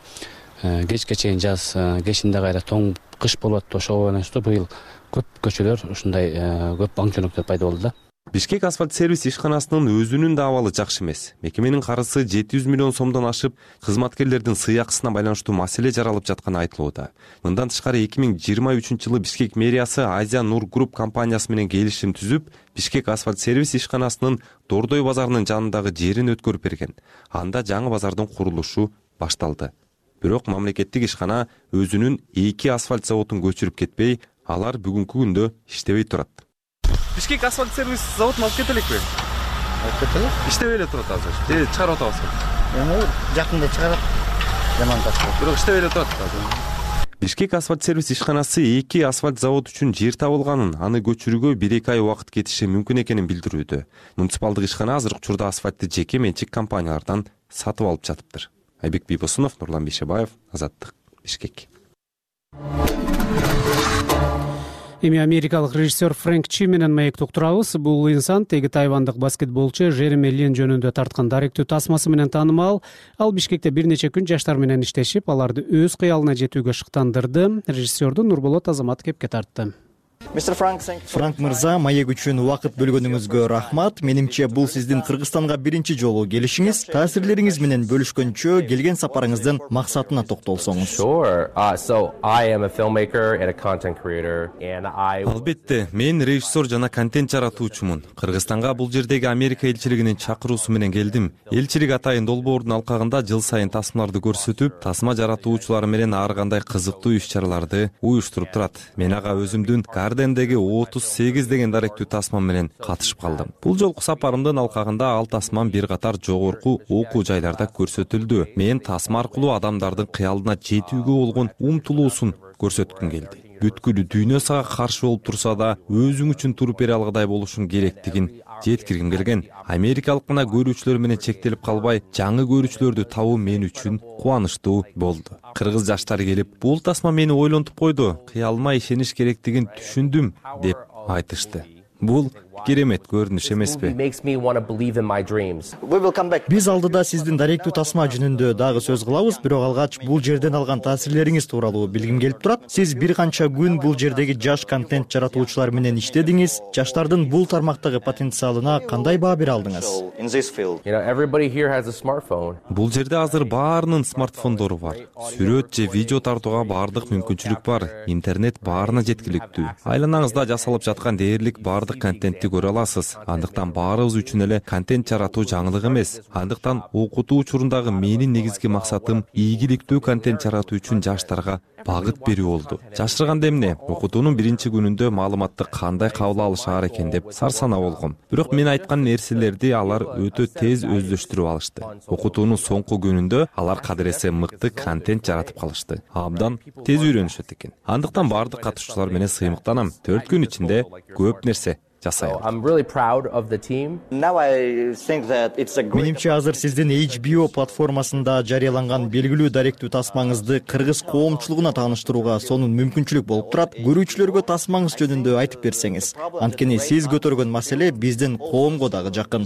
T: Кечке чейин жаз, кечинде кайра тоң кыш болуп атты. Ошого байланыштуу быйыл көп көчөлөр ушундай көп аң чөнөктөр пайда болду да.
O: Бишкек асфальт сервис ишканасынын өзүнүн да абалы жакшы эмес. Мекеменин карызы жети жүз миллион сомдон ашып, кызматкерлердин сый акысына байланыштуу маселе жаралып жатканы айтылууда. Мындан тышкары эки миң жыйырма үчүнчү жылы Бишкек мэриясы Азия Нур Групп компаниясы менен келишим түзүп, Бишкек асфальт сервис ишканасынын Дордой базарынын жанындагы жерин өткөрүп берген. Анда жаңы базардын курулушу башталды. Бирок мамлекеттик ишкана өзүнүн эки асфальт заводун көчүрүп кетпей, алар бүгүнкү күндө иштебей турат. Бишкек асфальт сервис заводун алып кетелекпи?
D: Алып кетелик.
O: Иштебей эле турат азыр. Же чыгарып атабызбы?
D: Эми жакында чыгарат. Жаман ташып.
O: Бирок иштебей эле турат азыр. Бишкек асфальт сервис ишканасы эки асфальт завод үчүн жер табылганын, аны көчүрүүгө бир эки ай убакыт кетиши мүмкүн экенин билдирүүдө. Муниципалдык ишкана азыркы учурда асфальтты жеке менчик компаниялардан сатып алып жатыптыр. Айбек Бийбосунов, Нурлан Бейшебаев, Азаттык, Бишкек.
B: Эми америкалык режиссер Фрэнк Чи менен маекти уктурабыз. Бул инсан теги тайвандык баскетболчу Жереми Лин жөнүндө тарткан даректүү тасмасы менен таанымал. Ал Бишкекте бир нече күн жаштар менен иштешип, аларды өз кыялына жетүүгө шыктандырды. Режиссерду Нурболот Азамат кепке тартты.
U: Франк мырза, маек үчүн убакыт бөлгөнүңүзгө рахмат. Менимче бул сиздин Кыргызстанга биринчи жолу келишиңиз. Таасирлериңиз менен бөлүшкөнчө келген сапарыңыздын максатына токтолсоңуз.
O: Албетте, мен режиссер жана контент жаратуучумун. Кыргызстанга бул жердеги Америка элчилигинин чакыруусу менен келдим. Элчилик атайын долбоордун алкагында жыл сайын тасмаларды көрсөтүп, тасма жаратуучулары менен ар кандай кызыктуу иш-чараларды уюштуруп турат. Мен ага өзүмдүн Гардендеги отуз сегиз деген даректүү тасма менен катышып калдым. Бул жолку сапарымдын алкагында ал тасмам бир катар жогорку окуу жайларда көрсөтүлдү. Мен тасма аркылуу адамдардын кыялына жетүүгө болгон умтулуусун көрсөткүм келди. Бүткүл дүйнө сага каршы болуп турса да, өзүң үчүн туруп бере алгыдай болушуң керектигин жеткиргим келген. Америкалык гана көрүүчүлөр менен чектелип калбай, жаңы көрүүчүлөрдү табуу мен үчүн кубанычтуу болду. Кыргыз жаштары келип, бул тасма мени ойлонтуп койду, кыялыма ишениш керектигин түшүндүм деп айтышты. Бул керемет көрүнүш эмеспи?
U: Биз алдыда сиздин даректүү тасма жөнүндө дагы сөз кылабыз, бирок алгач бул жерден алган таасирлериңиз тууралуу билгим келип турат. Сиз бир канча күн бул жердеги жаш контент жаратуучулар менен иштедиңиз. Жаштардын бул тармактагы потенциалына кандай баа бере алдыңыз?
O: Бул жерде азыр баарынын смартфондору бар. Сүрөт же видео тартууга баардык мүмкүнчүлүк бар. Интернет баарына жеткиликтүү. Айланаңызда жасалып жаткан дээрлик баардык контентти көрө аласыз. Андыктан баарыбыз үчүн эле контент жаратуу жаңылык эмес. Андыктан окутуу учурундагы менин негизги максатым ийгиликтүү контент жаратуу үчүн жаштарга багыт берүү болду. Жашырганда эмне? Окутуунун биринчи күнүндө маалыматты кандай кабыл алышаар экен деп сарсана болгом. Бирок мен айткан нерселерди алар өтө тез өздөштүрүп алышты. Окутуунун соңку күнүндө алар кадыресе мыкты контент жаратып калышты. Абдан тез үйрөнүшөт экен. Андыктан баардык катышуучулар менен сыймыктанам. төрт күн ичинде көп нерсе жасай алдым.
U: Менимче азыр сиздин эйч би о платформасында жарыяланган белгилүү даректүү тасмаңызды кыргыз коомчулугуна тааныштырууга сонун мүмкүнчүлүк болуп турат. Көрүүчүлөргө тасмаңыз жөнүндө айтып берсеңиз. Анткени сиз көтөргөн маселе биздин коомго дагы жакын.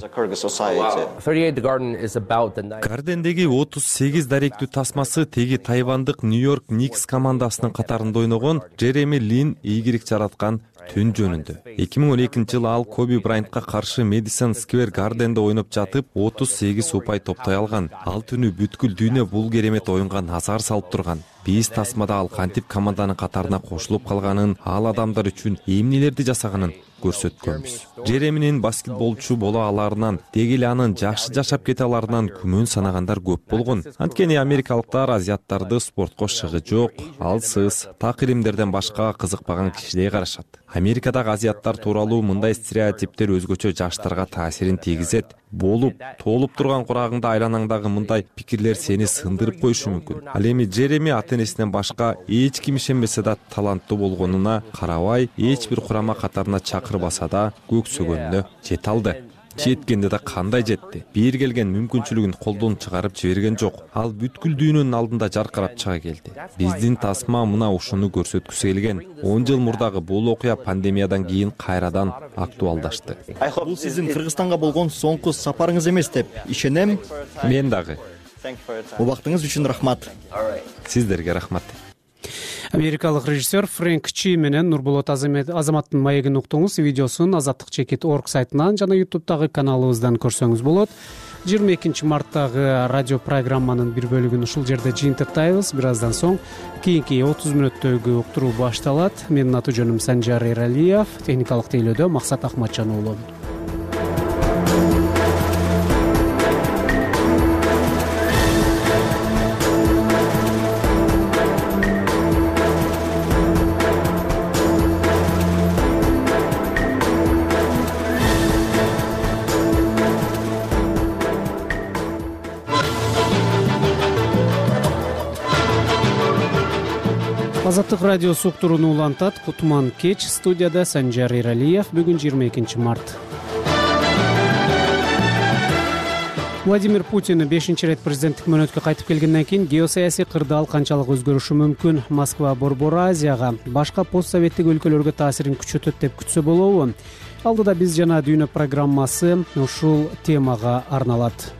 O: Гардендеги отуз сегиз даректүү тасмасы теги тайвандык Нью-Йорк Никс командасынын катарында ойногон Жереми Лин ийгилик жараткан түн жөнүндө. эки миң он экинчи жылы ал Коби Брайантка каршы Мэдисон Сквер Гарденде ойноп жатып, отуз сегиз упай топтой алган. Ал түнү бүткүл дүйнө бул керемет оюнга назар салып турган. Биз тасмада ал кантип команданын катарына кошулуп калганын, ал адамдар үчүн эмнелерди жасаганын көрсөткөнбүз. Жереминин баскетболчу боло аларынан, деги эле анын жакшы жашап кете аларынан күмөн санагандар көп болгон. Анткени америкалыктар азиаттарды спортко шыгы жок, алсыз, так иримдерден башка кызыкпаган кишидей карашат. Америкадагы азиаттар тууралуу мындай стереотиптер өзгөчө жаштарга таасирин тийгизет. Болуп, толуп турган курагыңда айланаңдагы мындай пикирлер сени сындырып коюшу мүмкүн. Ал эми Жереми ата-энесинен башка эч ким ишенбесе да таланттуу болгонуна карабай, эч бир курама катарына чакырбаса да көксөгөнүнө жете алды. Жеткенде да кандай жетти. Бир келген мүмкүнчүлүгүн колдон чыгарып жиберген жок. Ал бүткүл дүйнөнүн алдында жаркырап чыга келди. Биздин тасма мына ушуну көрсөткүсү келген. он жыл мурдагы бул окуя пандемиядан кийин кайрадан актуалдашты.
U: Бул сиздин Кыргызстанга болгон соңку сапарыңыз эмес деп ишенем.
O: Мен дагы.
U: Убактыңыз үчүн рахмат.
O: Сиздерге рахмат.
B: Америкалык режиссер Фрэнк Чи менен Нурболот Азаматтын маегин уктуңуз. Видеосун азаттык чекит точка орг сайтынан жана ютубтагы каналыбыздан көрсөңүз болот. жыйырма экинчи марттагы радио программанын бир бөлүгүн ушул жерде жыйынтыктайбыз. Бир аздан соң кийинки отуз мүнөттөгү уктуруу башталат. Менин аты жөнүм Санжар Эралиев, техникалык тейлөөдө Максат Акматжан уулу. Азаттык радиосу уктурууну улантат. Кутман кеч, студияда Санжар Эралиев. Бүгүн жыйырма экинчи март. Владимир Путин бешинчи ирет президенттик мөөнөткө кайтып келгенден кийин геосаясий кырдаал канчалык өзгөрүшү мүмкүн? Москва Борбор Азияга, башка постсоветтик өлкөлөргө таасирин күчөтөт деп күтсө болобу? Алдыда биз жана дүйнө программасы ушул темага арналат.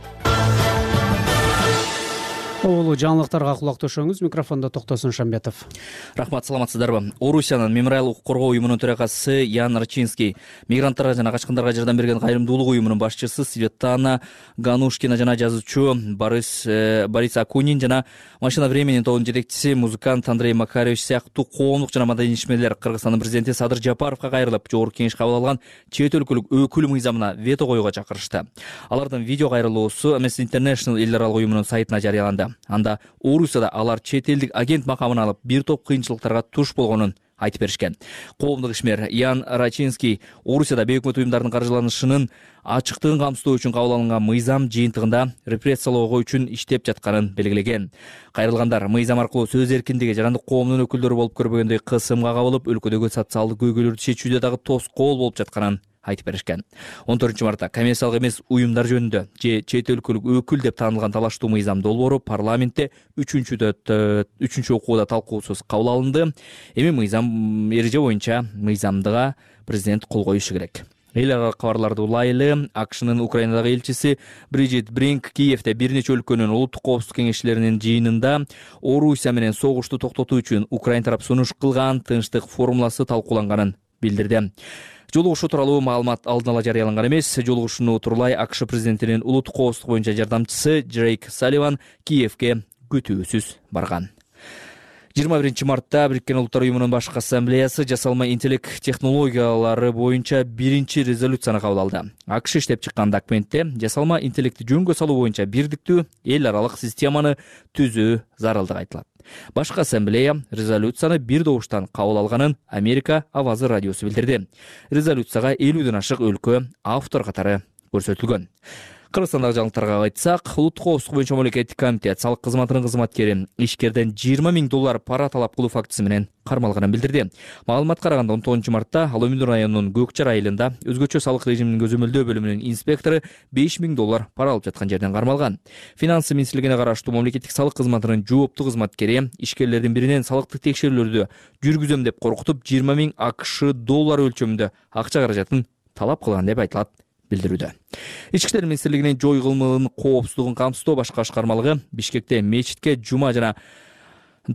B: Оолу жаңылыктарга кулак төшөңүз. Микрофондо Токтосун Шамбетов.
E: Рахмат, саламатсыздарбы? Орусиянын Мемориал укук коргоо уюмунун төрагасы Ян Рачинский, мигранттарга жана качкындарга жардам берген кайрымдуулук уюмунун башчысы Светлана Ганушкина жана жазуучу Борис Борис Акунин жана Машина времени тобунун жетекчиси музыкант Андрей Макаревич сыяктуу коомдук жана маданий ишмерлер Кыргызстандын президенти Садыр Жапаровго кайрылып, жогорку кеңеш кабыл алган чет өлкөлүк өкүл мыйзамына вето коюуга чакырышты. Алардын видео кайрылуусу Amnesty International эл аралык уюмунун сайтына жарыяланды. Анда Орусияда алар чет элдик агент макамын алып, бир топ кыйынчылыктарга туш болгонун айтып беришкен. Коомдук ишмер Ян Рачинский Орусияда бейөкмөт уюмдардын каржыланышынын ачыктыгын камсыздоо үчүн кабыл алынган мыйзам жыйынтыгында репрессиялоого үчүн иштеп жатканын белгилеген. Кайрылгандар мыйзам аркылуу сөз эркиндиги жарандык коомдун өкүлдөрү болуп көрбөгөндөй кысымга кабылып, өлкөдөгү социалдык көйгөйлөрдү чечүүдө дагы тоскоол болуп жатканын айтып беришкен. он төртүнчү мартта коммерциялык эмес уюмдар жөнүндө же чет өлкөлүк өкүл деп таанылган талаштуу мыйзам долбоору парламентте үчүнчү окууда талкуусуз кабыл алынды. Эми мыйзам эреже боюнча мыйзамдыга президент кол коюшу керек. Эл аралык кабарларды улайлы. АКШнын Украинадагы элчиси Бриджит Бринк Киевде бир нече өлкөнүн улуттук коопсуздук кеңешчилеринин жыйынында Орусия менен согушту токтотуу үчүн Украин тарап сунуш кылган тынчтык формуласы талкууланганын билдирди. Жолугушуу тууралуу маалымат алдын ала жарыяланган эмес. Жолугушууну утурлай АКШ президентинин улуттук коопсуздук боюнча жардамчысы Джейк Салливан Киевге күтүүсүз барган. жыйырма биринчи мартта Бириккен Улуттар уюмунун башкы ассамблеясы жасалма интеллект технологиялары боюнча биринчи резолюцияны кабыл алды. АКШ иштеп чыккан документте жасалма интеллектти жөнгө салуу боюнча бирдиктүү эл аралык системаны түзүү зарылдыгы айтылат. Башкы ассамблея резолюцияны бир добуштан кабыл алганын Америка Авазы радиосу билдирди. Резолюцияга элүүдөн ашык өлкө автор катары көрсөтүлгөн. Кыргызстандагы жаңылыктарга айтсак, улуттук коопсуздук боюнча мамлекеттик комитет салык кызматынын кызматкери ишкерден жыйырма миң доллар пара талап кылуу фактысы менен кармалганын билдирди. Маалыматка караганда он тогузунчу мартта Ала Өмүндү районунун Көкчар айылында өзгөчө салык режиминин көзөмөлдөө бөлүмүнүн инспектору беш миң доллар пара алып жаткан жерден кармалган. Финансы министрлигине караштуу мамлекеттик салык кызматынын жооптуу кызматкери ишкерлердин биринен салыктык текшерүүлөрдү жүргүзөм деп коркутуп жыйырма миң АКШ доллар өлчөмүндө акча каражатын талап кылган деп айтылат билдирүүдө. Ички иштер министрлигинин жой кылмыгынын коопсуздугун камсыздоо башкы башкармалыгы Бишкекте мечитке жума жана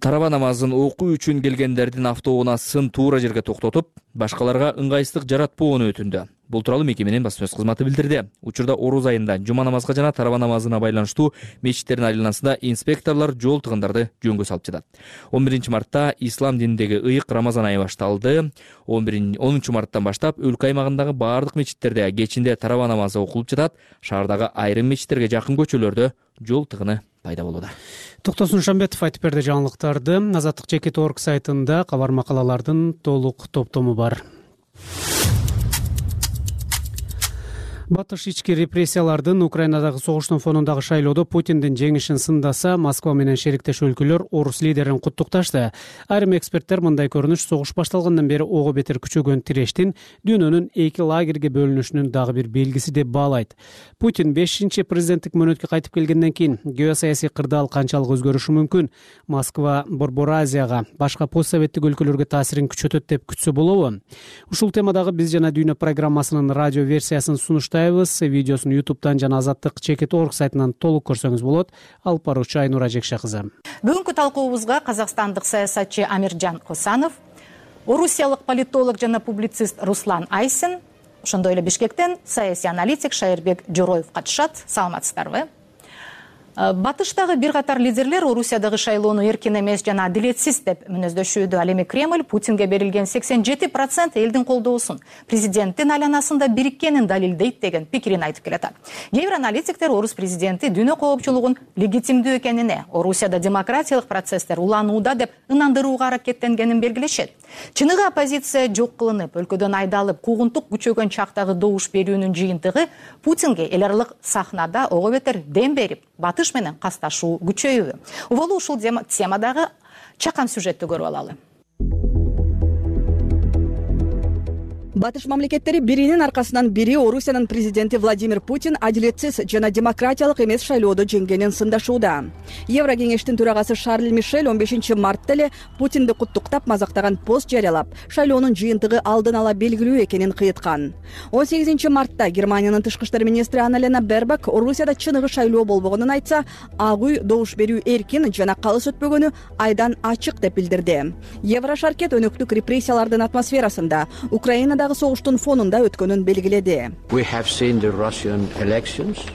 E: тараба намазын окуу үчүн келгендердин автоунаасын туура жерге токтотуп, башкаларга ыңгайсыздык жаратпоону өтүндү. Бул тууралуу мекеменин басма сөз кызматы билдирди. Учурда Оруз айында жума намазга жана тараба намазына байланыштуу мечиттердин айланасында инспекторлор жол тыгындарды жөнгө салып жатат. он биринчи мартта ислам дининдеги ыйык Рамазан айы башталды. онунчу марттан баштап өлкө аймагындагы баардык мечиттерде кечинде тараба намазы окулуп жатат. Шаардагы айрым мечиттерге жакын көчөлөрдө жол тыгыны пайда болууда.
B: Токтосун Шамбетов айтып берди жаңылыктарды. Азаттык чекит точка орг сайтында кабар макалалардын толук топтому бар. Батыш ички репрессиялардын Украинадагы согуштун фонундагы шайлоодо Путиндин жеңишин сындаса, Москва менен шериктеш өлкөлөр орус лидерин куттукташты. Айрым эксперттер мындай көрүнүш согуш башталгандан бери ого бетер күчөгөн тирештин дүйнөнүн эки лагерге бөлүнүшүнүн дагы бир белгиси деп баалайт. Путин бешинчи президенттик мөөнөткө кайтып келгенден кийин геосаясий кырдаал канчалык өзгөрүшү мүмкүн? Москва Борбор Азияга, башка постсоветтик өлкөлөргө таасирин күчөтөт деп күтсө болобу? Ушул темадагы биз жана дүйнө программасынын радио версиясын сунуштайбыз. баштайбыз. Видеосун ютубтан жана Азаттык чекит орг сайтынан толук көрсөңүз болот. Алып баруучу Айнура Жекше кызы.
G: Бүгүнкү талкуубузга казакстандык саясатчы Амиржан Косанов, орусиялык политолог жана публицист Руслан Айсин, ошондой эле Бишкектен саясий аналитик Шайырбек Жороев катышат. Саламатсыздарбы? Батыштагы бир катар лидерлер Орусиядагы шайлоону эркин эмес жана адилетсиз деп мүнөздөшүүдө. Ал эми Кремль Путинге берилген сексен жети процент элдин колдоосун президенттин айланасында бириккенин далилдейт деген пикирин айтып келатат. Кээ бир аналитиктер орус президенти дүйнө коопчулугун легитимдүү экенине, Орусияда демократиялык процесстер уланууда деп ынандырууга аракеттенгенин белгилешет. Чыныгы оппозиция жок кылынып, өлкөдөн айдалып, куугунтук күчөгөн чактагы добуш берүүнүн жыйынтыгы Путинге эл аралык сахнада ого бетер дем берип, батыш менен касташуу күчөйүүбү. Уболу ушул темадагы чакан сюжетти көрүп алалы.
J: Батыш мамлекеттери биринин аркасынан бири Орусиянын президенти Владимир Путин адилетсиз жана демократиялык эмес шайлоодо жеңгенин сындашууда. Евро кеңештин төрагасы Шарль Мишель он бешинчи мартта эле Путинди куттуктап мазактаган пост жарыялап, шайлоонун жыйынтыгы алдын ала белгилүү экенин кыйыткан. он сегизинчи мартта Германиянын тышкы иштер министри Анна-Лена Бербак Орусияда чыныгы шайлоо болбогонун айтса, ак үй добуш берүү эркин жана калыс өтпөгөнү айдан ачык деп билдирди. Евро шаркет өнөктүк репрессиялардын атмосферасында Украинадагы согуштун фонунда өткөнүн белгиледи.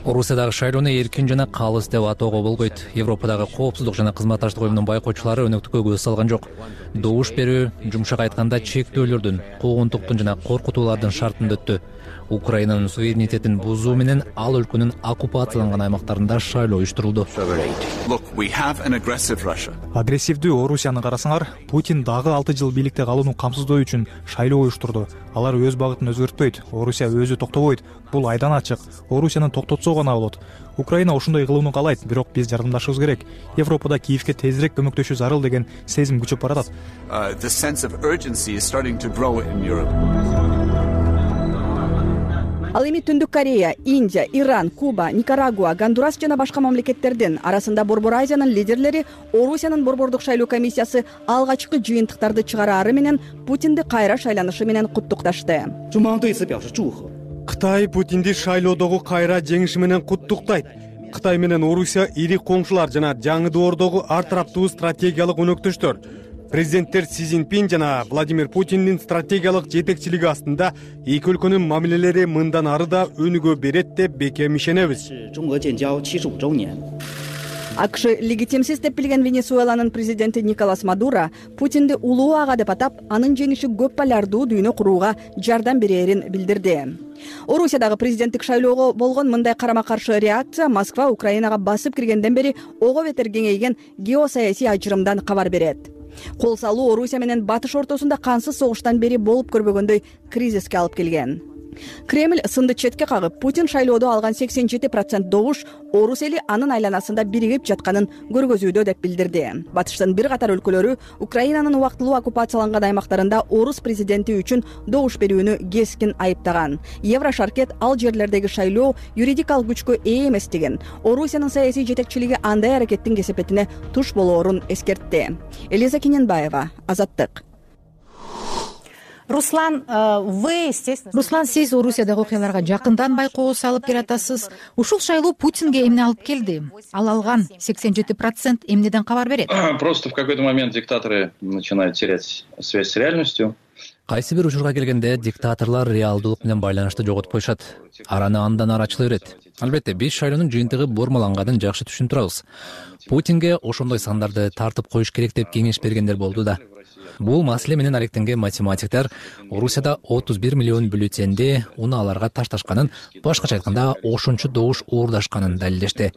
E: Орусиядагы шайлоону эркин жана калыс деп атоого болбойт. Европадагы коопсуздук жана кызматташтык уюмунун байкоочулары өнөктүккө көз салган жок. Добуш берүү, жумшак айтканда, чектөөлөрдүн, куугунтуктун жана коркутуулардын шартында өттү. Украинанын суверенитетин бузуу менен ал өлкөнүн оккупацияланган аймактарында шайлоо уюштурулду.
L: Агрессивдүү Орусияны карасаңар, Путин дагы алты жыл бийликте калууну камсыздоо үчүн шайлоо уюштурду. Алар өз багытын өзгөртпөйт, Орусия өзү токтобойт. Бул айдан ачык. Орусияны токтотсо гана болот. Украина ошондой кылууну каалайт, бирок биз жардамдашыбыз керек. Европада Киевке тезирээк көмөктөшүү зарыл деген сезим күчөп баратат.
J: Ал эми Түндүк Корея, Индия, Иран, Куба, Никарагуа, Гондурас жана башка мамлекеттердин арасында Борбор Азиянын лидерлери Орусиянын борбордук шайлоо комиссиясы алгачкы жыйынтыктарды чыгараары менен Путинди кайра шайланышы менен куттукташты.
V: Кытай Путинди шайлоодогу кайра жеңиши менен куттуктайт. Кытай менен Орусия ири коңшулар жана жаңы доордогу ар тараптуу стратегиялык өнөктөштөр. Президенттер Си Цзиньпин жана Владимир Путиндин стратегиялык жетекчилиги астында эки өлкөнүн мамилелери мындан ары да өнүгө берет деп бекем ишенебиз.
J: АКШ легитимсиз деп билген Венесуэланын президенти Николас Мадуро Путинди улуу ага деп атап, анын жеңиши көп полярдуу дүйнө курууга жардам берерин билдирди. Орусиядагы президенттик шайлоого болгон мындай карама-каршы реакция Москва Украинага басып киргенден бери ого бетер кеңейген геосаясий ажырымдан кабар берет. Кол салуу Орусия менен Батыш ортосунда кансыз согуштан бери болуп көрбөгөндөй кризиске алып келген. Кремль сынды четке кагып, Путин шайлоодо алган сексен жети процент добуш орус эли анын айланасында биригип жатканын көргөзүүдө деп билдирди. Батыштын бир катар өлкөлөрү Украинанын убактылуу оккупацияланган аймактарында орус президенти үчүн добуш берүүнү кескин айыптаган. Евро шаркет ал жерлердеги шайлоо юридикалык күчкө ээ эмес деген. Орусиянын саясий жетекчилиги андай аракеттин кесепетине туш болоорун эскертти. Элиза Кененбаева, Азаттык.
G: Руслан, вы, естественно...
W: Руслан, сиз Орусиядагы окуяларга жакындан байкоо салып келатасыз. Ушул шайлоо Путинге эмне алып келди? Ал алган сексен жети процент эмнеден кабар берет?
X: Просто в какой-то момент диктаторы начинают терять связь с реальностью.
E: Кайсы бир учурга келгенде диктаторлор реалдуулук менен байланышты жоготуп коюшат. Араны андан ары ачыла берет. Албетте, биз шайлоонун жыйынтыгы бурмаланганын жакшы түшүнүп турабыз. Путинге ошондой сандарды тартып коюш керек деп кеңеш бергендер болду да. Бул маселе менен алектенген математиктер Орусияда отуз бир миллион бюллетенди унааларга ташташканын, башкача айтканда ошончо добуш уурдашканын далилдешти.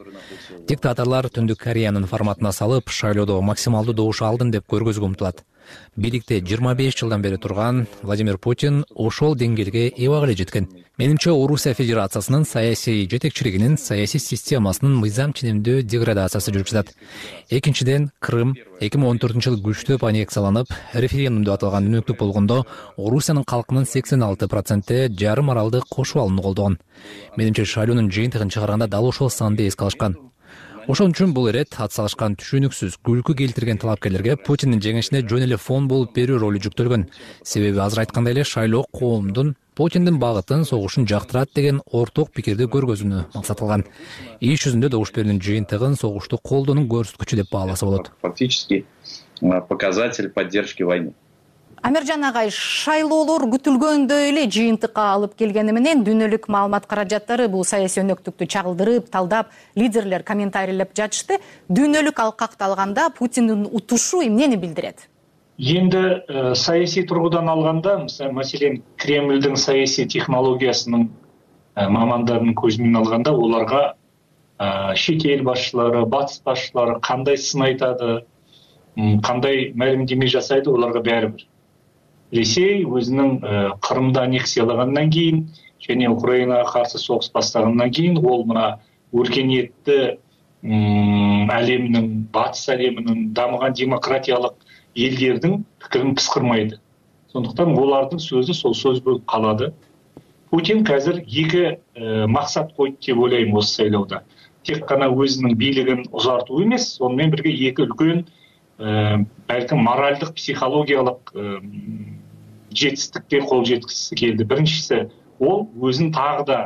E: Диктаторлор Түндүк Кореянын форматына салып, шайлоодо максималдуу добуш алдым деп көргөзүүгө умтулат. Бийликте жыйырма беш жылдан бери турган Владимир Путин ошол деңгээлге эбак эле жеткен. Менимче, Орусия Федерациясынын саясий жетекчилигинин саясий системасынын мыйзам ченемдүү деградациясы жүрүп жатат. Экинчиден, Крым эки миң он төртүнчү жылы күчтөп аннексияланып, референдум деп аталган өнөктүк болгондо, Орусиянын калкынын сексен алты проценти жарым аралды кошуп алууну колдогон. Менимче, шайлоонун жыйынтыгын чыгарганда дал ошол санды эске алышкан.
A: Ошон үчүн бул ирет ат салышкан түшүнүксүз, күлкү келтирген талапкерлерге Путиндин жеңишине жөн эле фон болуп берүү ролу жүктөлгөн. Себеби азыр айткандай эле шайлоо коомдун Путиндин багытын, согушун жактырат деген орток пикирди көргөзүүнү максат кылган. Иш жүзүндө добуш берүүнүн жыйынтыгын согушту колдоонун көрсөткүчү деп бааласа болот.
X: Фактически показатель поддержки войны.
G: Амиржан агай, шайлоолор күтүлгөндөй эле жыйынтыкка алып келгени менен дүйнөлүк маалымат каражаттары бул саясий өнөктүктү чагылдырып, талдап, лидерлер комментарийлеп жатышты. Дүйнөлүк алкакты алганда Путиндин утушу эмнени билдирет?
C: Енді ә, саяси тұрғыдан алғанда, мәселен, Кремльдің саяси технологиясының ә, мамандарының көзімен алғанда, оларға ә, шетел басшылары, батыс басшылары қандай сын айтады, қандай мәлімдеме жасайды, оларға бәрібір. Ресей өзінің ә, Қырымды аннексиялағаннан кейін, және Украинаға қарсы соғыс бастағаннан кейін, ол мына өркениетті әлемнің, батыс әлемінің дамыған демократиялық елдердің пікірін пысқырмайды. Сондықтан олардың сөзі сол сөз болып қалады. Путин қазір екі ә, мақсат қойды деп ойлаймын осы сайлауда. Тек қана өзінің билігін ұзарту емес, сонымен бірге екі үлкен ә, бәлкім моральдық, психологиялық ә, жетістікке қол жеткізгісі келді. Біріншісі, ол өзін тағы да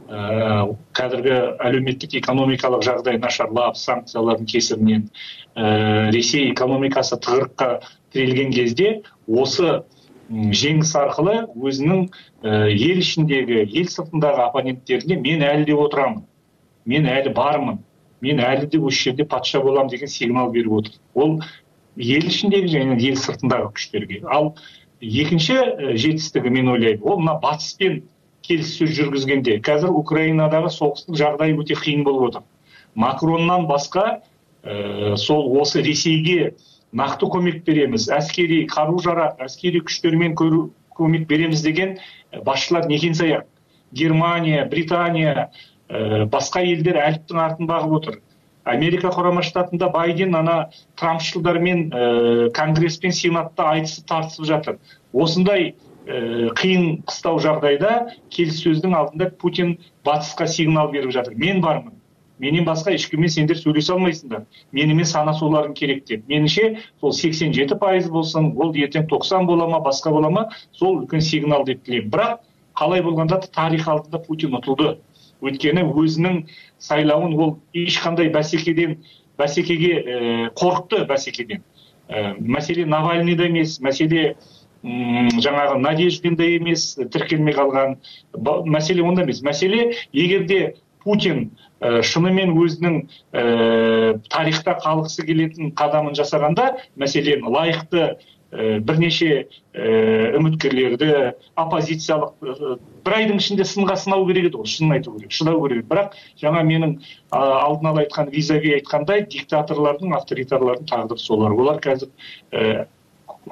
C: ә, қазіргі әлеуметтік экономикалық жағдай нашарлап, санкциялардың кесірінен ә, Ресей экономикасы тығырыққа тірелген кезде осы жеңіс арқылы өзінің ә, ел ішіндегі, ел сыртындағы оппоненттеріне мен әлі де отырамын, мен әлі бармын, мен әлі де осы жерде патша боламын деген сигнал беріп отыр. Ол ел ішіндегі және ел сыртындағы күштерге. Ал екінші жетістігі мен ойлаймын, ол мына батыспен келіссөз жүргізгенде. Қазір Украинадағы соғыстың жағдайы өте қиын болып отыр. Макроннан басқа ә, сол осы Ресейге нақты көмек береміз, әскери қару-жарақ, әскери күштермен көру, көмек береміз деген басшылар некен саяқ. Германия, Британия, ә, басқа елдер әліптің артын бағып отыр. Америка құрама штатында Байден ана Трампшылдармен ә, Конгресс пен Сенатта айтысып тартысып жатыр. Осындай ә, қиын қыстау жағдайда келіссөздің алдында Путин батысқа сигнал беріп жатыр. Мен бармын. Менен басқа ешкіммен сендер сөйлесе алмайсыңдар. Менімен санасуларың керек деп. Меніңше сол сексен жеті пайыз болсын, ол ертең тоқсан бола ма, басқа бола ма, сол үлкен сигнал деп тілеймін. Бірақ қалай болғанда тарих алдында Путин ұтылды. Өйткені өзінің сайлауын ол ешқандай бәсекеден, бәсекеге ә, қорықты бәсекеден. Ә, мәселе Навальныйда емес, мәселе м, жаңағы Надеждинда емес, тіркелмей қалған. Мәселе онда емес. Мәселе егерде Путин ә, шынымен өзінің ә, тарихта қалғысы келетін қадамын жасағанда, мәселен лайықты ә, бірнеше ә, үміткерлерді, оппозициялық ә, бір айдың ішінде сынға сынау керек еді, шынын айту керек, шыдау керек. Бірақ жаңа менің ә, алдын ала айтқан визави айтқандай, диктаторлардың, авторитарлардың тағдыры солар. Олар қазір ә,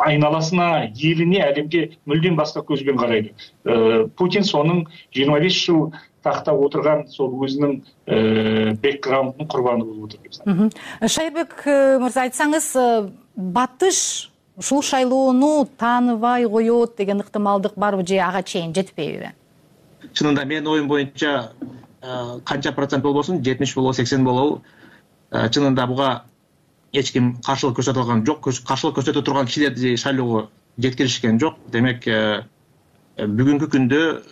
C: айналасына, еліне, әлемге мүлдем басқа көзбен қарайды. Ә, Путин соның жиырма бес жыл тақта отырған сол өзінің ә, бэкграундының құрбаны болып отыр.
G: Шайырбек мырза, айтсаңыз, батыш ушул шайлоону тааныбай коет деген ыктымалдык барбы же ага чейин жетпейби?
H: Чынында менин оюм боюнча канча процент болбосун, жетимиш болобу, сексен болобу, чынында буга эч ким каршылык көрсөтө алган жок. Каршылык көрсөтө турган кишилерди шайлоого жеткиришкен жок. Демек бүгүнкү күндө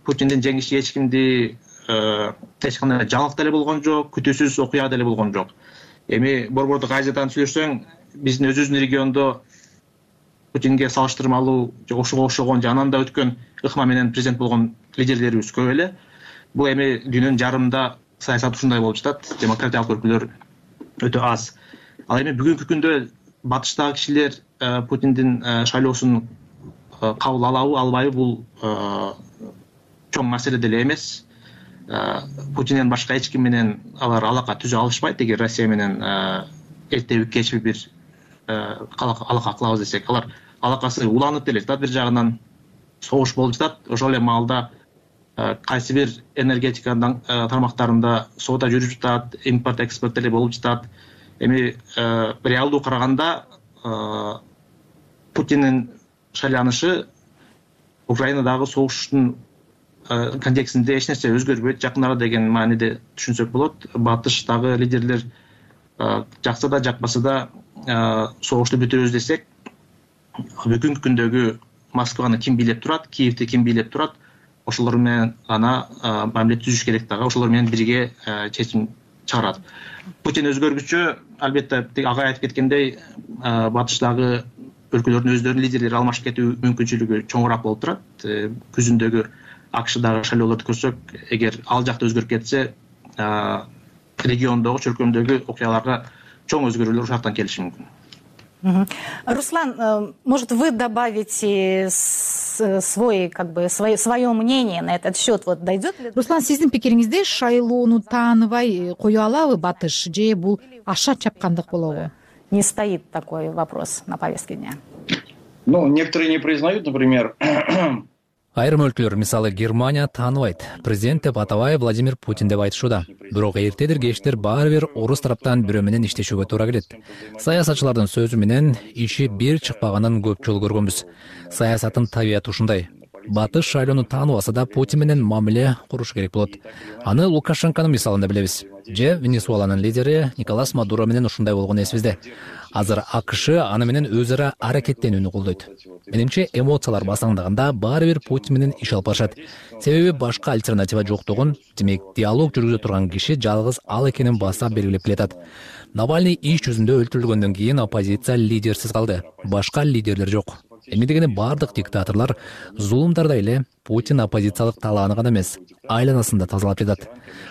H: Путиндин жеңиши эч кимди эч кандай жаңылык деле болгон жок, күтүүсүз окуя деле болгон жок. Эми Борбордук Азиядан сүйлөшсөң, биздин өзүбүздүн региондо Путинге салыштырмалуу же ошого окшогон же анан да өткөн ыкма менен президент болгон лидерлерибиз көп эле. Бул эми дүйнөнүн жарымында саясат ушундай болуп жатат, демократиялык өлкөлөр өтө аз. Ал эми бүгүнкү күндө батыштагы кишилер Путиндин шайлоосун кабыл алабы, албайбы, бул чоң маселе деле эмес. Путинден башка эч ким менен алар алака түзө алышпайт. Эгер Россия менен эртеби кечби бир алака кылабыз десек, алар алакасы уланып деле жатат. Бир жагынан согуш болуп жатат. Ошол эле маалда кайсы бир энергетиканын тармактарында соода жүрүп жатат, импорт экспорт деле болуп жатат. Эми реалдуу караганда Путиндин шайланышы Украинадагы согуштун контекстинде эч нерсе өзгөрбөйт, жакын арада деген мааниде түшүнсөк болот. Батыштагы лидерлер жакса да жакпаса да согушту бүтүрөбүз десек, бүгүнкү күндөгү Москваны ким бийлеп турат, Киевди ким бийлеп турат, ошолор менен гана мамиле түзүш керек дагы, ошолор менен бирге чечим чыгарат. Путин өзгөргүчө, албетте ага айтып кеткендей, батыштагы өлкөлөрдүн өздөрүнүн лидерлери алмашып кетүү мүмкүнчүлүгү чоңураак болуп турат. Күзүндөгү АКШдагы шайлоолорду көрсөк, эгер ал жакта өзгөрүп кетсе, региондогу, чөлкөмдөгү окуяларга чоң өзгөрүүлөр ушактан келиши мүмкүн.
G: Руслан, может, вы добавите свой, как бы, свое, свое мнение на этот счет? Вот дойдет ли?
W: Руслан, сиздин пикириңизде шайлоону тааныбай кое алабы Батыш, же бул аша чапкандык болобу?
G: Не стоит такой вопрос на повестке дня.
X: Ну, некоторые не признают, например.
A: Айрым өлкөлөр, мисалы Германия тааныбайт. Президент деп атабай Владимир Путин деп айтышууда. Бирок эртедир кечтир баары бир орус тараптан бирөө менен иштешүүгө туура келет. Саясатчылардын сөзү менен иши бир чыкпаганын көп жолу көргөнбүз. Саясаттын табияты ушундай. Батыш шайлоону тааныбаса да Путин менен мамиле куруш керек болот. Аны Лукашенконун мисалында билебиз. Же Венесуэланын лидери Николас Мадуро менен ушундай болгон эсибизде. Азыр АКШ аны менен өз ара аракеттенүүнү колдойт. Менимче эмоциялар басаңдаганда баары бир Путин менен иш алып барышат. Себеби башка альтернатива жоктугун, демек диалог жүргүзө турган киши жалгыз ал экенин баса белгилеп келатат. Навальный иш жүзүндө өлтүрүлгөндөн кийин оппозиция лидерсиз калды. Башка лидерлер жок. Эми дегене бардык диктаторлор зулумдарда эле Путин оппозициялык талааны гана эмес, айланасында тазалап жатат.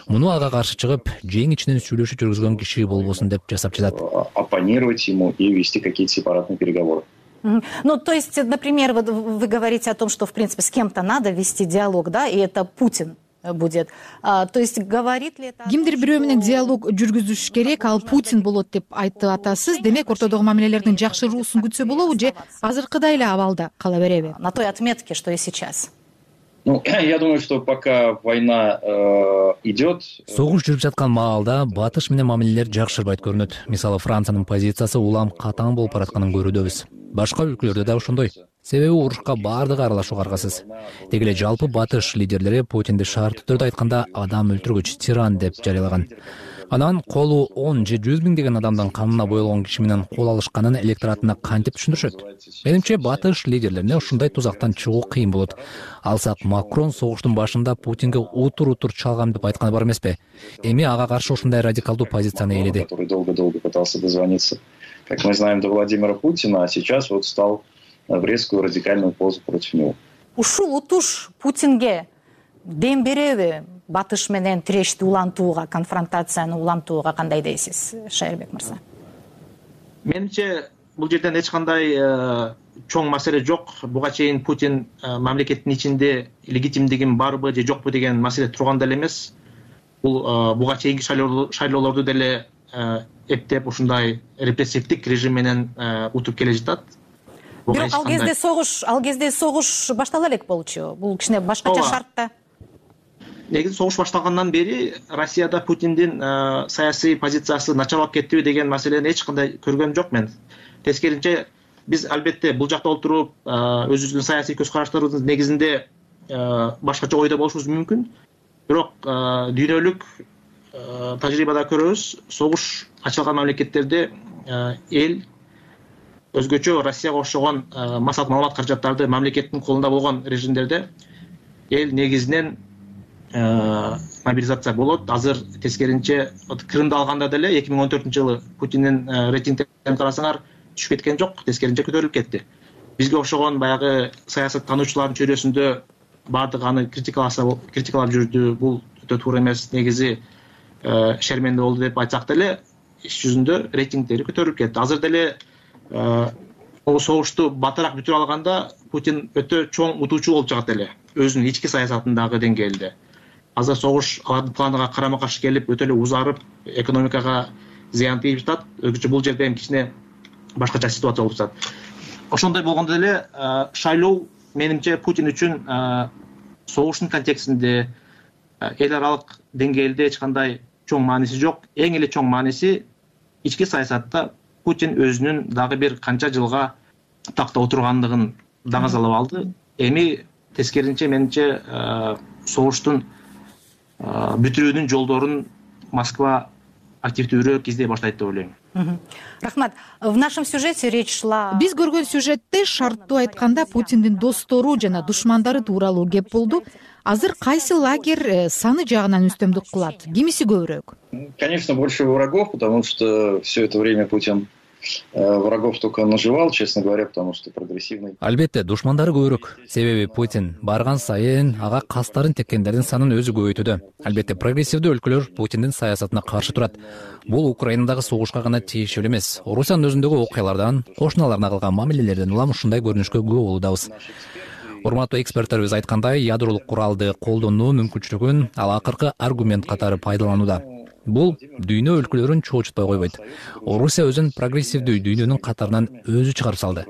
A: Муну ага каршы чыгып, жең ичинен сүйлөшүү жүргүзгөн киши болбосун деп жасап жатат.
X: Оппонировать ему и вести какие-то сепаратные переговоры.
G: Ну, то есть, например, вы, вы говорите о том, что, в принципе, с кем-то надо вести диалог, да, и это Путин будет. А, то есть, говорит ли это...
W: Кимдир бирөө менен диалог жүргүзүш керек, ал Путин болот деп айтып атасыз. Демек, ортодогу мамилелердин жакшыруусун күтсө болобу, же азыркыдай эле абалда кала береби?
G: На той отметке, что и сейчас.
X: Ну, я думаю, что пока война э, идет...
A: Согуш жүрүп жаткан маалда Батыш менен мамилелер жакшырбайт көрүнөт. Мисалы, Франциянын позициясы улам катаң болуп баратканын көрүүдөбүз. Башка өлкөлөрдө да ошондой. Себеби урушка баардыгы аралашууга аргасыз. Деги эле жалпы Батыш лидерлери Путинди шартты түрдө айтканда адам өлтүргүч, тиран деп жарыялаган. Анан колу он же жүз миң деген адамдын канына боелгон киши менен кол алышканын электоратына кантип түшүндүрүшөт? Менимче Батыш лидерлерине ушундай тузактан чыгуу кыйын болот. Алсак Макрон согуштун башында Путинге утур-утур чалгам деп айтканы бар эмеспи? Эми ага каршы ушундай радикалдуу позицияны ээледи.
X: Который долго-долго пытался дозвониться, как мы знаем, до Владимира Путина, а сейчас вот стал в резкую радикальную позу против него.
G: Ушул утуш Путинге дем береби? Батыш менен тирешти улантууга, конфронтацияны улантууга кандай дейсиз, Шайырбек мырза?
H: Менимче, бул жерден эч кандай чоң маселе жок. Буга чейин Путин мамлекеттин ичинде легитимдигин барбы же жокпу деген маселе турган деле эмес. Бул буга чейинки шайлоолорду деле эптеп ушундай репрессивдик режим менен утуп келе жатат.
G: Бирок ал кезде согуш, ал кезде согуш баштала элек болчу. Бул кичине башкача шартта.
H: Негизи согуш башталгандан бери Россияда Путиндин саясий позициясы начарлап кеттиби деген маселени эч кандай көргөм жок мен. Тескерисинче, биз албетте бул жакта отуруп өзүбүздүн саясий көз караштарыбыздын негизинде башкача ойдо болушубуз мүмкүн. Бирок дүйнөлүк тажрыйбада көрөбүз, согуш ачылган мамлекеттерде эл өзгөчө Россияга окшогон массалык маалымат каражаттарды мамлекеттин колунда болгон режимдерде эл негизинен мобилизация болот. Азыр тескеринче Крымды алганда деле эки миң он төртүнчү жылы Путиндин рейтингтерин карасаңар түшүп кеткен жок, тескеринче көтөрүлүп кетти. Бизге окшогон баягы саясаттануучулардын чөйрөсүндө баардыгы аны критикаласа, критикалап жүрдү. Бул өтө туура эмес, негизи шерменде болду деп айтсак деле, иш жүзүндө рейтингтери көтөрүлүп кетти. Азыр деле бул согушту батыраак бүтүрө алганда Путин өтө чоң утуучу болуп чыгат эле өзүнүн ички саясатындагы деңгээлде. Азыр согуш алардын планына карама каршы келип, өтө эле узарып, экономикага зыян тийип жатат. Өзгөчө бул жерде эми кичине башкача ситуация болуп жатат. Ошондой болгондо деле шайлоо менимче Путин үчүн согуштун контекстинде эл аралык деңгээлде эч кандай чоң мааниси жок. Эң эле чоң мааниси ички саясатта Путин өзүнүн дагы бир канча жылга такта отургандыгын даңазалап алды. Эми тескерисинче менимче согуштун бүтүрүүнүн жолдорун Москва активдүүрөөк издей баштайт деп ойлойм.
G: Рахмат. В нашем сюжете речь шла.
W: Биз көргөн сюжетте шарттуу айтканда Путиндин достору жана душмандары тууралуу кеп болду. Азыр кайсы лагерь саны жагынан үстөмдүк кылат? Кимиси көбүрөөк?
X: Конечно, больше врагов, потому что все это время Путин врагов только наживал, честно говоря, потому что прогрессивный.
A: Албетте, душмандары көбүрөөк. Себеби Путин барган сайын ага кастарын теккендердин санын өзү көбөйтүүдө. Албетте, прогрессивдүү өлкөлөр Путиндин саясатына каршы турат. Бул Украинадагы согушка гана тийиштүү эмес. Орусиянын өзүндөгү окуялардан, кошуналарына кылган мамилелерден улам ушундай көрүнүшкө күбө болуудабыз. Урматтуу эксперттерибиз айткандай, ядролук куралды колдонуу мүмкүнчүлүгүн ал акыркы аргумент катары пайдаланууда. Бул дүйнө өлкөлөрүн чоочутпай койбойт. Орусия өзүн прогрессивдүү дүйнөнүн катарынан өзү чыгарып салды.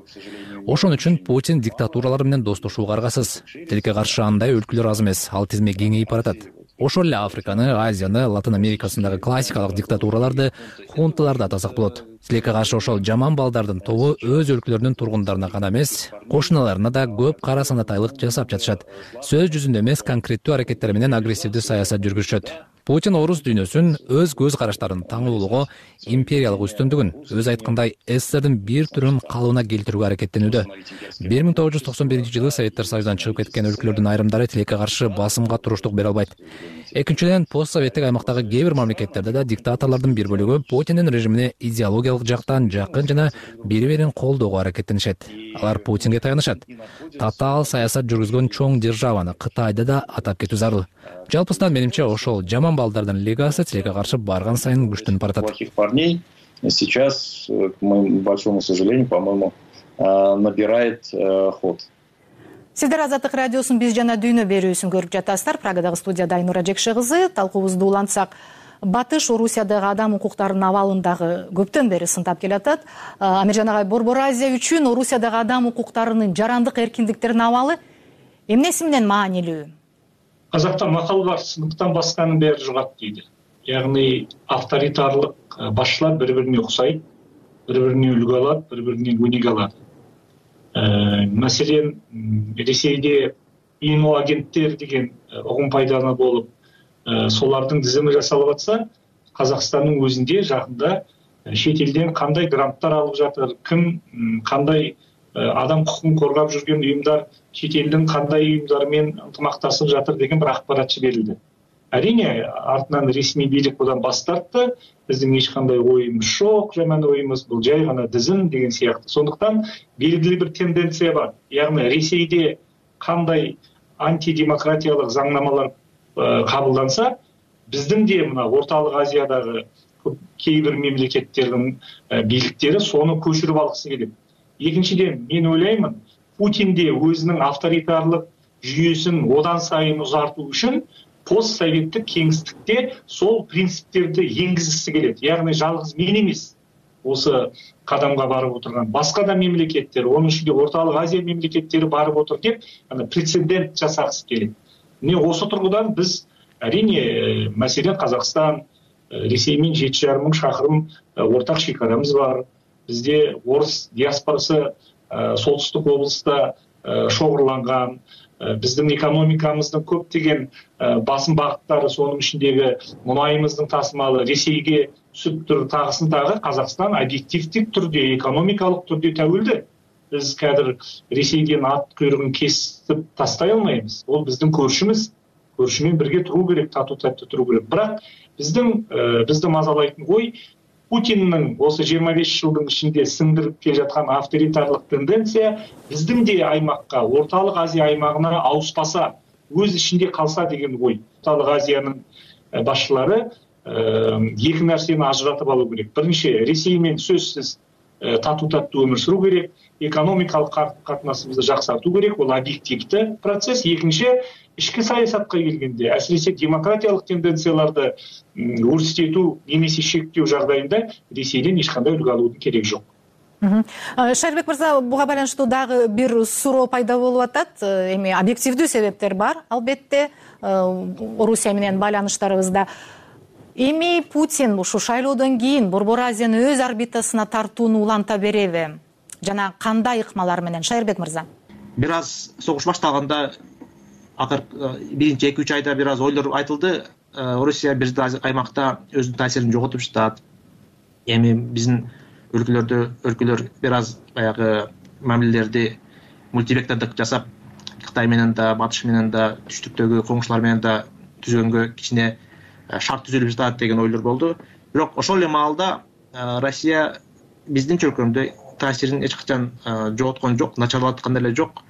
A: Ошон үчүн Путин диктатуралар менен достошууга аргасыз. Тилекке каршы андай өлкөлөр аз эмес, ал тизме кеңейип баратат. Ошол эле Африканы, Азияны, Латын Америкасындагы классикалык диктатураларды, хунталарды атасак болот. Тилекке каршы ошол жаман балдардын тобу өз өлкөлөрүнүн тургундарына гана эмес, кошуналарына да көп кара санатайлык жасап жатышат. Сөз жүзүндө эмес, конкреттүү аракеттер менен агрессивдүү саясат жүргүзүшөт. Путин орус дүйнөсүн өз көз караштарын таңуулугу, империялык үстөмдүгүн, өз айткандай СССРдин бир түрүн калыбына келтирүүгө аракеттенүүдө. бир миң тогуз жүз токсон биринчи жылы Советтер Союзунан чыгып кеткен өлкөлөрдүн айрымдары тилекке каршы басымга туруштук бере албайт. Экинчиден, постсоветтик аймактагы кээ бир мамлекеттерде да диктаторлордун бир бөлүгү Путиндин режимине идеологиялык жактан жакын жана бири бирин колдоого аракеттенишет. Алар Путинге таянышат. Татаал саясат жүргүзгөн чоң державаны Кытайды да атап кетүү зарыл. Жалпысынан менимче ошол жаман балдардын лигасы тилекке каршы барган сайын күчтөнүп баратат.
X: Плохих парней сейчас, к моему большому сожалению, по-моему, набирает ход.
G: Сиздер Азаттык радиосунун биз жана дүйнө берүүсүн көрүп жатасыздар. Прагадагы студияда Айнура Жекше кызы. Талкуубузду улантсак, Батыш Орусиядагы адам укуктарынын абалын дагы көптөн бери сынтап келатат. Амиржан агай, Борбор Азия үчүн Орусиядагы адам укуктарынын жарандык эркиндиктеринин абалы эмнеси менен маанилүү?
C: Казакта макал бар, сыныктан басканын бери жугат дейди. Ягни авторитарлык башчылар бири-бирине уксайт, бири-бирине үлгү алат, бири-бирине өнеге алат. Маселен, Ресейде иноагенттер деген угум пайдалануу болуп, солардын тизими жасалып атса, Казакстандын өзүндө жакында чет элден кандай гранттар алып жатыр, ким кандай адам укугун коргоп жүргөн уюмдар чет элдин кандай уюмдары менен ынтымакташып жатыр деген бир акпарат жиберилди. Әрине, артынан ресми бийлик будан бас тартты. Биздин эч кандай оюбуз жок, жаман оюбуз бул жай гана тизим деген сыяктуу. Сондуктан белгилүү бир тенденция бар. Ягни Ресейде кандай антидемократиялык заңнамалар кабылданса, биздин де мына Орталык Азиядагы кээ бир мемлекеттердин бийликтери сону көчүрүп алгысы келет. Экинчиден, мен ойлоймун, Путин де өзүнүн авторитарлык жүйөсүн одан сайын узартуу үчүн постсоветтик кеңистикте сол принциптерди энгизгиси келет. Ягни жалгыз мен эмес, осы кадамга барып отурган башка да мемлекеттер, онун ичинде Орталык Азия мемлекеттери барып отур деп, аны прецедент жасагысы келет. Міне осы тургудан биз әрине, маселен Казакстан, Ресей менен жети жарым миң шакырым ортак шекарамыз бар. Бизде орус диаспорасы солтүстүк облуста шоғырланган, биздин экономикамыздын көптөгөн басым багыттары, сонун ичиндеги мунайымыздын тасымалы Ресейге түсүп тур, тагысын тагы Казакстан объективдик түрдө, экономикалык түрдө тәуелді. Биз кадыр Ресейден ат көйрөгүн кесип тастай албайбыз. Ол биздин көршүбүз, көршү менен бирге туруу керек, татуу таттуу туруу керек. Бирок биздин бизди мазалайтын ой, Путиндин осы жыйырма беш жылдын ичинде сиңдирип келе жаткан авторитарлык тенденция биздин де аймакка, Орталык Азия аймагына ауыспаса, өз ичинде калса деген ой. Орталык Азиянын башчылары эки нерсени ажыратып алуу керек. Биринчи, Ресей менен сөзсүз татуу таттуу өмүр сүрүү керек, экономикалык катнашыбызды жаксартуу керек, бул объективдүү процесс. Экинчи, ички саясатка келгенде, әсіресе демократиялык тенденцияларды өрсүтүү немесе шектөө жагдайында Ресейден эч кандай үлгү алуудун кереги жок.
G: Шайырбек мырза, буга байланыштуу дагы бир суроо пайда болуп атат. Эми объективдүү себептер бар, албетте, Орусия менен байланыштарыбызда. Эми Путин ушу шайлоодон кийин Борбор Азияны өз орбитасына тартууну уланта береби? Жана кандай ыкмалар менен, Шайырбек мырза?
H: Бир аз согуш башталганда акыркы биринчи эки үч айда бир аз ойлор айтылды. Орусия бир аймакта өзүнүн таасирин жоготуп жатат. Эми биздин өлкөлөрдө өлкөлөр бир аз баягы мамилелерди мультивектордук жасап, Кытай менен да, Батыш менен да, түштүктөгү коңшулар менен да түзгөнгө кичине шарт түзүлүп жатат деген ойлор болду. Бирок ошол эле маалда Россия биздин чөлкөмдө таасирин эч качан жоготкон жок, начарлаткан деле жок.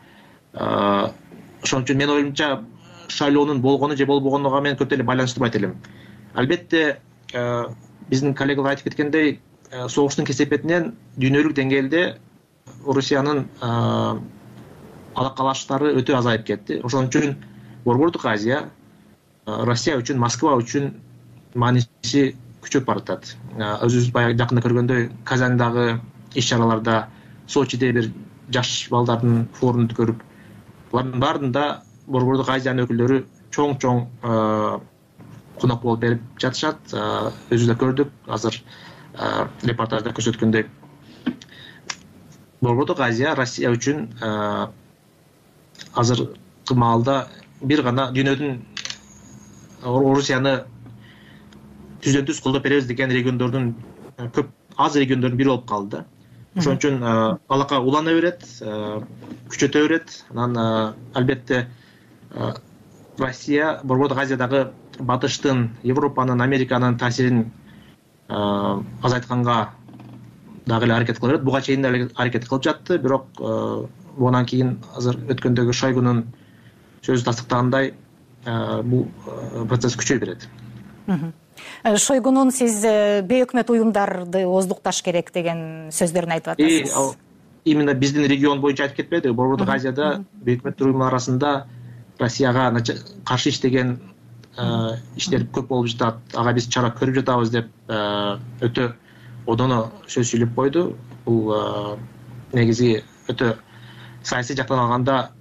H: Ошон үчүн менин оюмча шайлоонун болгону же болбогонуга мен көп деле байланыштырбайт элем. Албетте биздин коллегалар айтып кеткендей, согуштун кесепетинен дүйнөлүк деңгээлде Орусиянын алакалаштары өтө азайып кетти. Ошон үчүн Борбордук Азия Россия үчүн, Москва үчүн мааниси күчөп баратат. Өзүбүз баягы жакында көргөндөй Казандагы иш-чараларда, Сочиде бир жаш балдардын форумун көрүп, булардын баарында Борбордук Азиянын өкүлдөрү чоң-чоң конок болуп берип жатышат. Өзүбүз да көрдүк, азыр репортажда көрсөткөндөй. Борбордук Азия Россия үчүн азыркы маалда бир гана дүйнөдүн Орусияны түздөн түз колдоп беребиз деген региондордун көп аз региондордун бири болуп калды. Ошон үчүн алака улана берет, күчөтө берет. Анан албетте Россия Борбордук Азиядагы Батыштын, Европанын, Американын таасирин азайтканга дагы эле аракет кыла берет. Буга чейин деле аракет кылып жатты, бирок будан кийин азыр өткөндөгү Шойгунун сөзү тастыктагандай бул процесс күчөй берет.
G: Шойгунун сиз бейөкмөт уюмдарды ооздукташ керек деген сөздөрүн айтып атасыз.
H: Именно биздин регион боюнча айтып кетпеди. Борбордук Азияда бейөкмөт уюмдар арасында Россияга каршы иштеген иштер көп болуп жатат. Ага биз чара көрүп жатабыз деп өтө одоно сөз сүйлөп койду. Бул негизи өтө саясий жактан алганда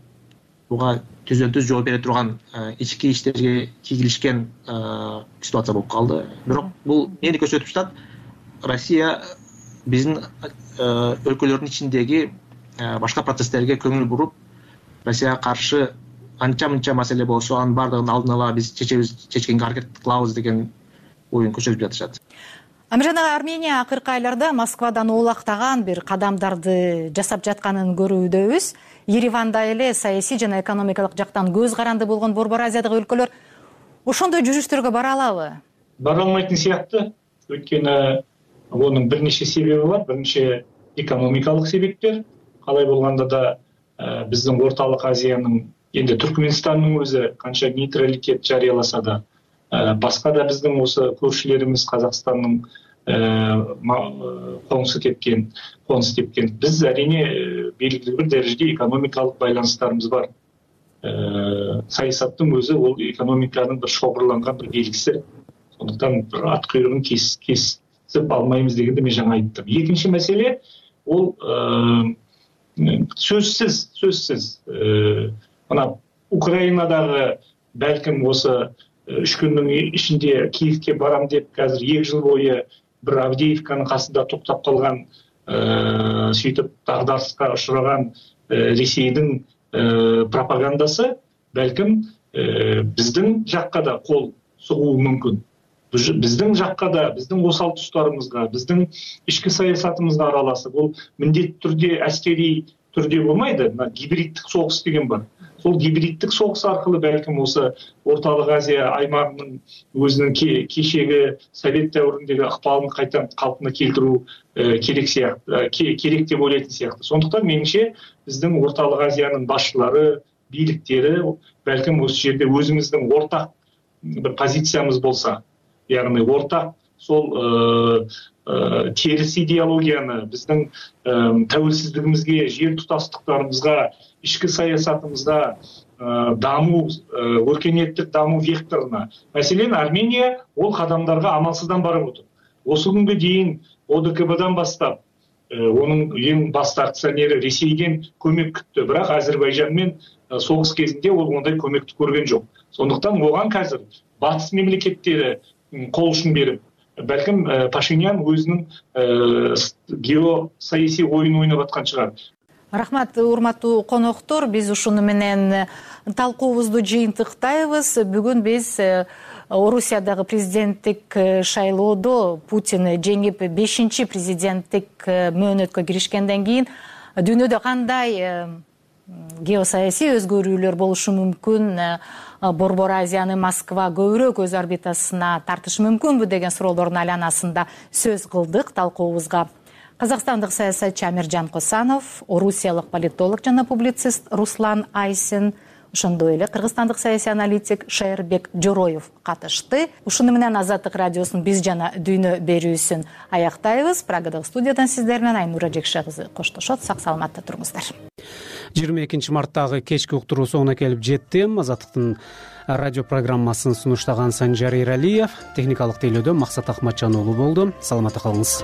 H: буга түздөн түз жооп бере турган ички иштерге кийгилишкен ситуация болуп калды. Бирок бул эмнени көрсөтүп жатат? Россия биздин өлкөлөрдүн ичиндеги башка процесстерге көңүл буруп, Россияга каршы анча-мынча маселе болсо, анын баардыгын алдын ала биз чечебиз, чечкенге аракет кылабыз деген оюн көрсөтүп жатышат.
G: Амиржан ага, Армения акыркы айларда Москвадан оолактаган бир кадамдарды жасап жатканын көрүүдөбүз. Ереванда эле саясий жана экономикалык жактан көз каранды болгон Борбор Азиядагы өлкөлөр ошондой жүрүштөргө бара алабы?
C: Бара алмайтын сыяктуу. Өйткөнү онун бир нече себеби бар, бир нече экономикалык себептер. Калай болгондо да биздин Ортолук Азиянын, энди Түркмөнстандын өзү канча нейтралитет жарыяласа да, башка да биздин осы көршүлөрүбүз Казакстандын коңсу тепкен, конус тепкен. Биз арине белгилүү бир дәрежеде экономикалык байланыштарыбыз бар. Саясаттын өзү ол экономиканын бир шоғырланган бир белгиси. Сондуктан бир ат куйругун кесип алмайбыз дегенде мен жаңа айттым. Экинчи маселе ол сөзсүз, сөзсүз мына Украинадагы бәлким осы үч күндүн ичинде Киевке барам деп азыр эки жыл бою бир Авдеевканын касында токтоп калган, сүйтүп дагдарышка учураган Ресейдин пропагандасы бәлким биздин жакка да кол сугуу мүмкүн. Биздин жакка да, биздин осал туштарыбызга, биздин ички саясатыбызга аралашып, бул міндетті түрде әскери түрде болмайды, гибриддик согуш деген бар. Сол гибриддик согуш аркылуу бәлким осы Ортолук Азия аймагынын өзүнүн кечеги Совет дәврүндөгү ыкпалын кайта калпына келтирүү керек сыяктуу, керек деп ойлойт сыяктуу. Сондуктан менимче биздин Ортолук Азиянын башчылары, бийликтери бәлким осы жерде өзүбүздүн ортак бир позициябыз болса, яғни ортак сол теріс идеологияны биздин тәуелсиздигибизге, жер тутастыктарыбызга, ички саясатыбызга, дамуу, өркениеттик дамуу векторуна. Маселен, Армения ол кадамдарга амалсыздан барып отур. Осы күнгө дейин О Д К Б'дан баштап, онун эң башкы акционери Ресейден көмөк күттү, бирок Азербайжан менен согуш кезинде ол ондай көмөктү көргөн жок. Сондуктан оган азыр батыс мемлекеттери кол ушун берип, бәлким Пашинян өзүнүн геосаясий оюн ойноп аткан чыгар.
G: Рахмат, урматтуу коноктор, биз ушуну менен талкуубузду жыйынтыктайбыз. Бүгүн биз Орусиядагы президенттик шайлоодо Путин жеңип бешинчи президенттик мөөнөткө киришкенден кийин дүйнөдө кандай геосаясий өзгөрүүлөр болушу мүмкүн, Борбор Азияны Москва көбүрөөк өз орбитасына тартышы мүмкүнбү деген суроолордун айланасында сөз кылдык. Талкуубузга казакстандык саясатчы Амиржан Косанов, орусиялык политолог жана публицист Руслан Айсин, ошондой эле кыргызстандык саясий аналитик Шайырбек Жороев катышты. Ушуну менен Азаттык радиосунун биз жана дүйнө берүүсүн аяктайбыз. Прагадагы студиядан сиздер менен Айнура Жекше кызы коштошот. Сак саламатта туруңуздар.
B: жыйырма экинчи марттагы кечки уктуруу соңуна келип жетти. Азаттыктын радио программасын сунуштаган Санжар Эралиев, техникалык тейлөөдө Максат Акматжан уулу болду. Саламатта калыңыз.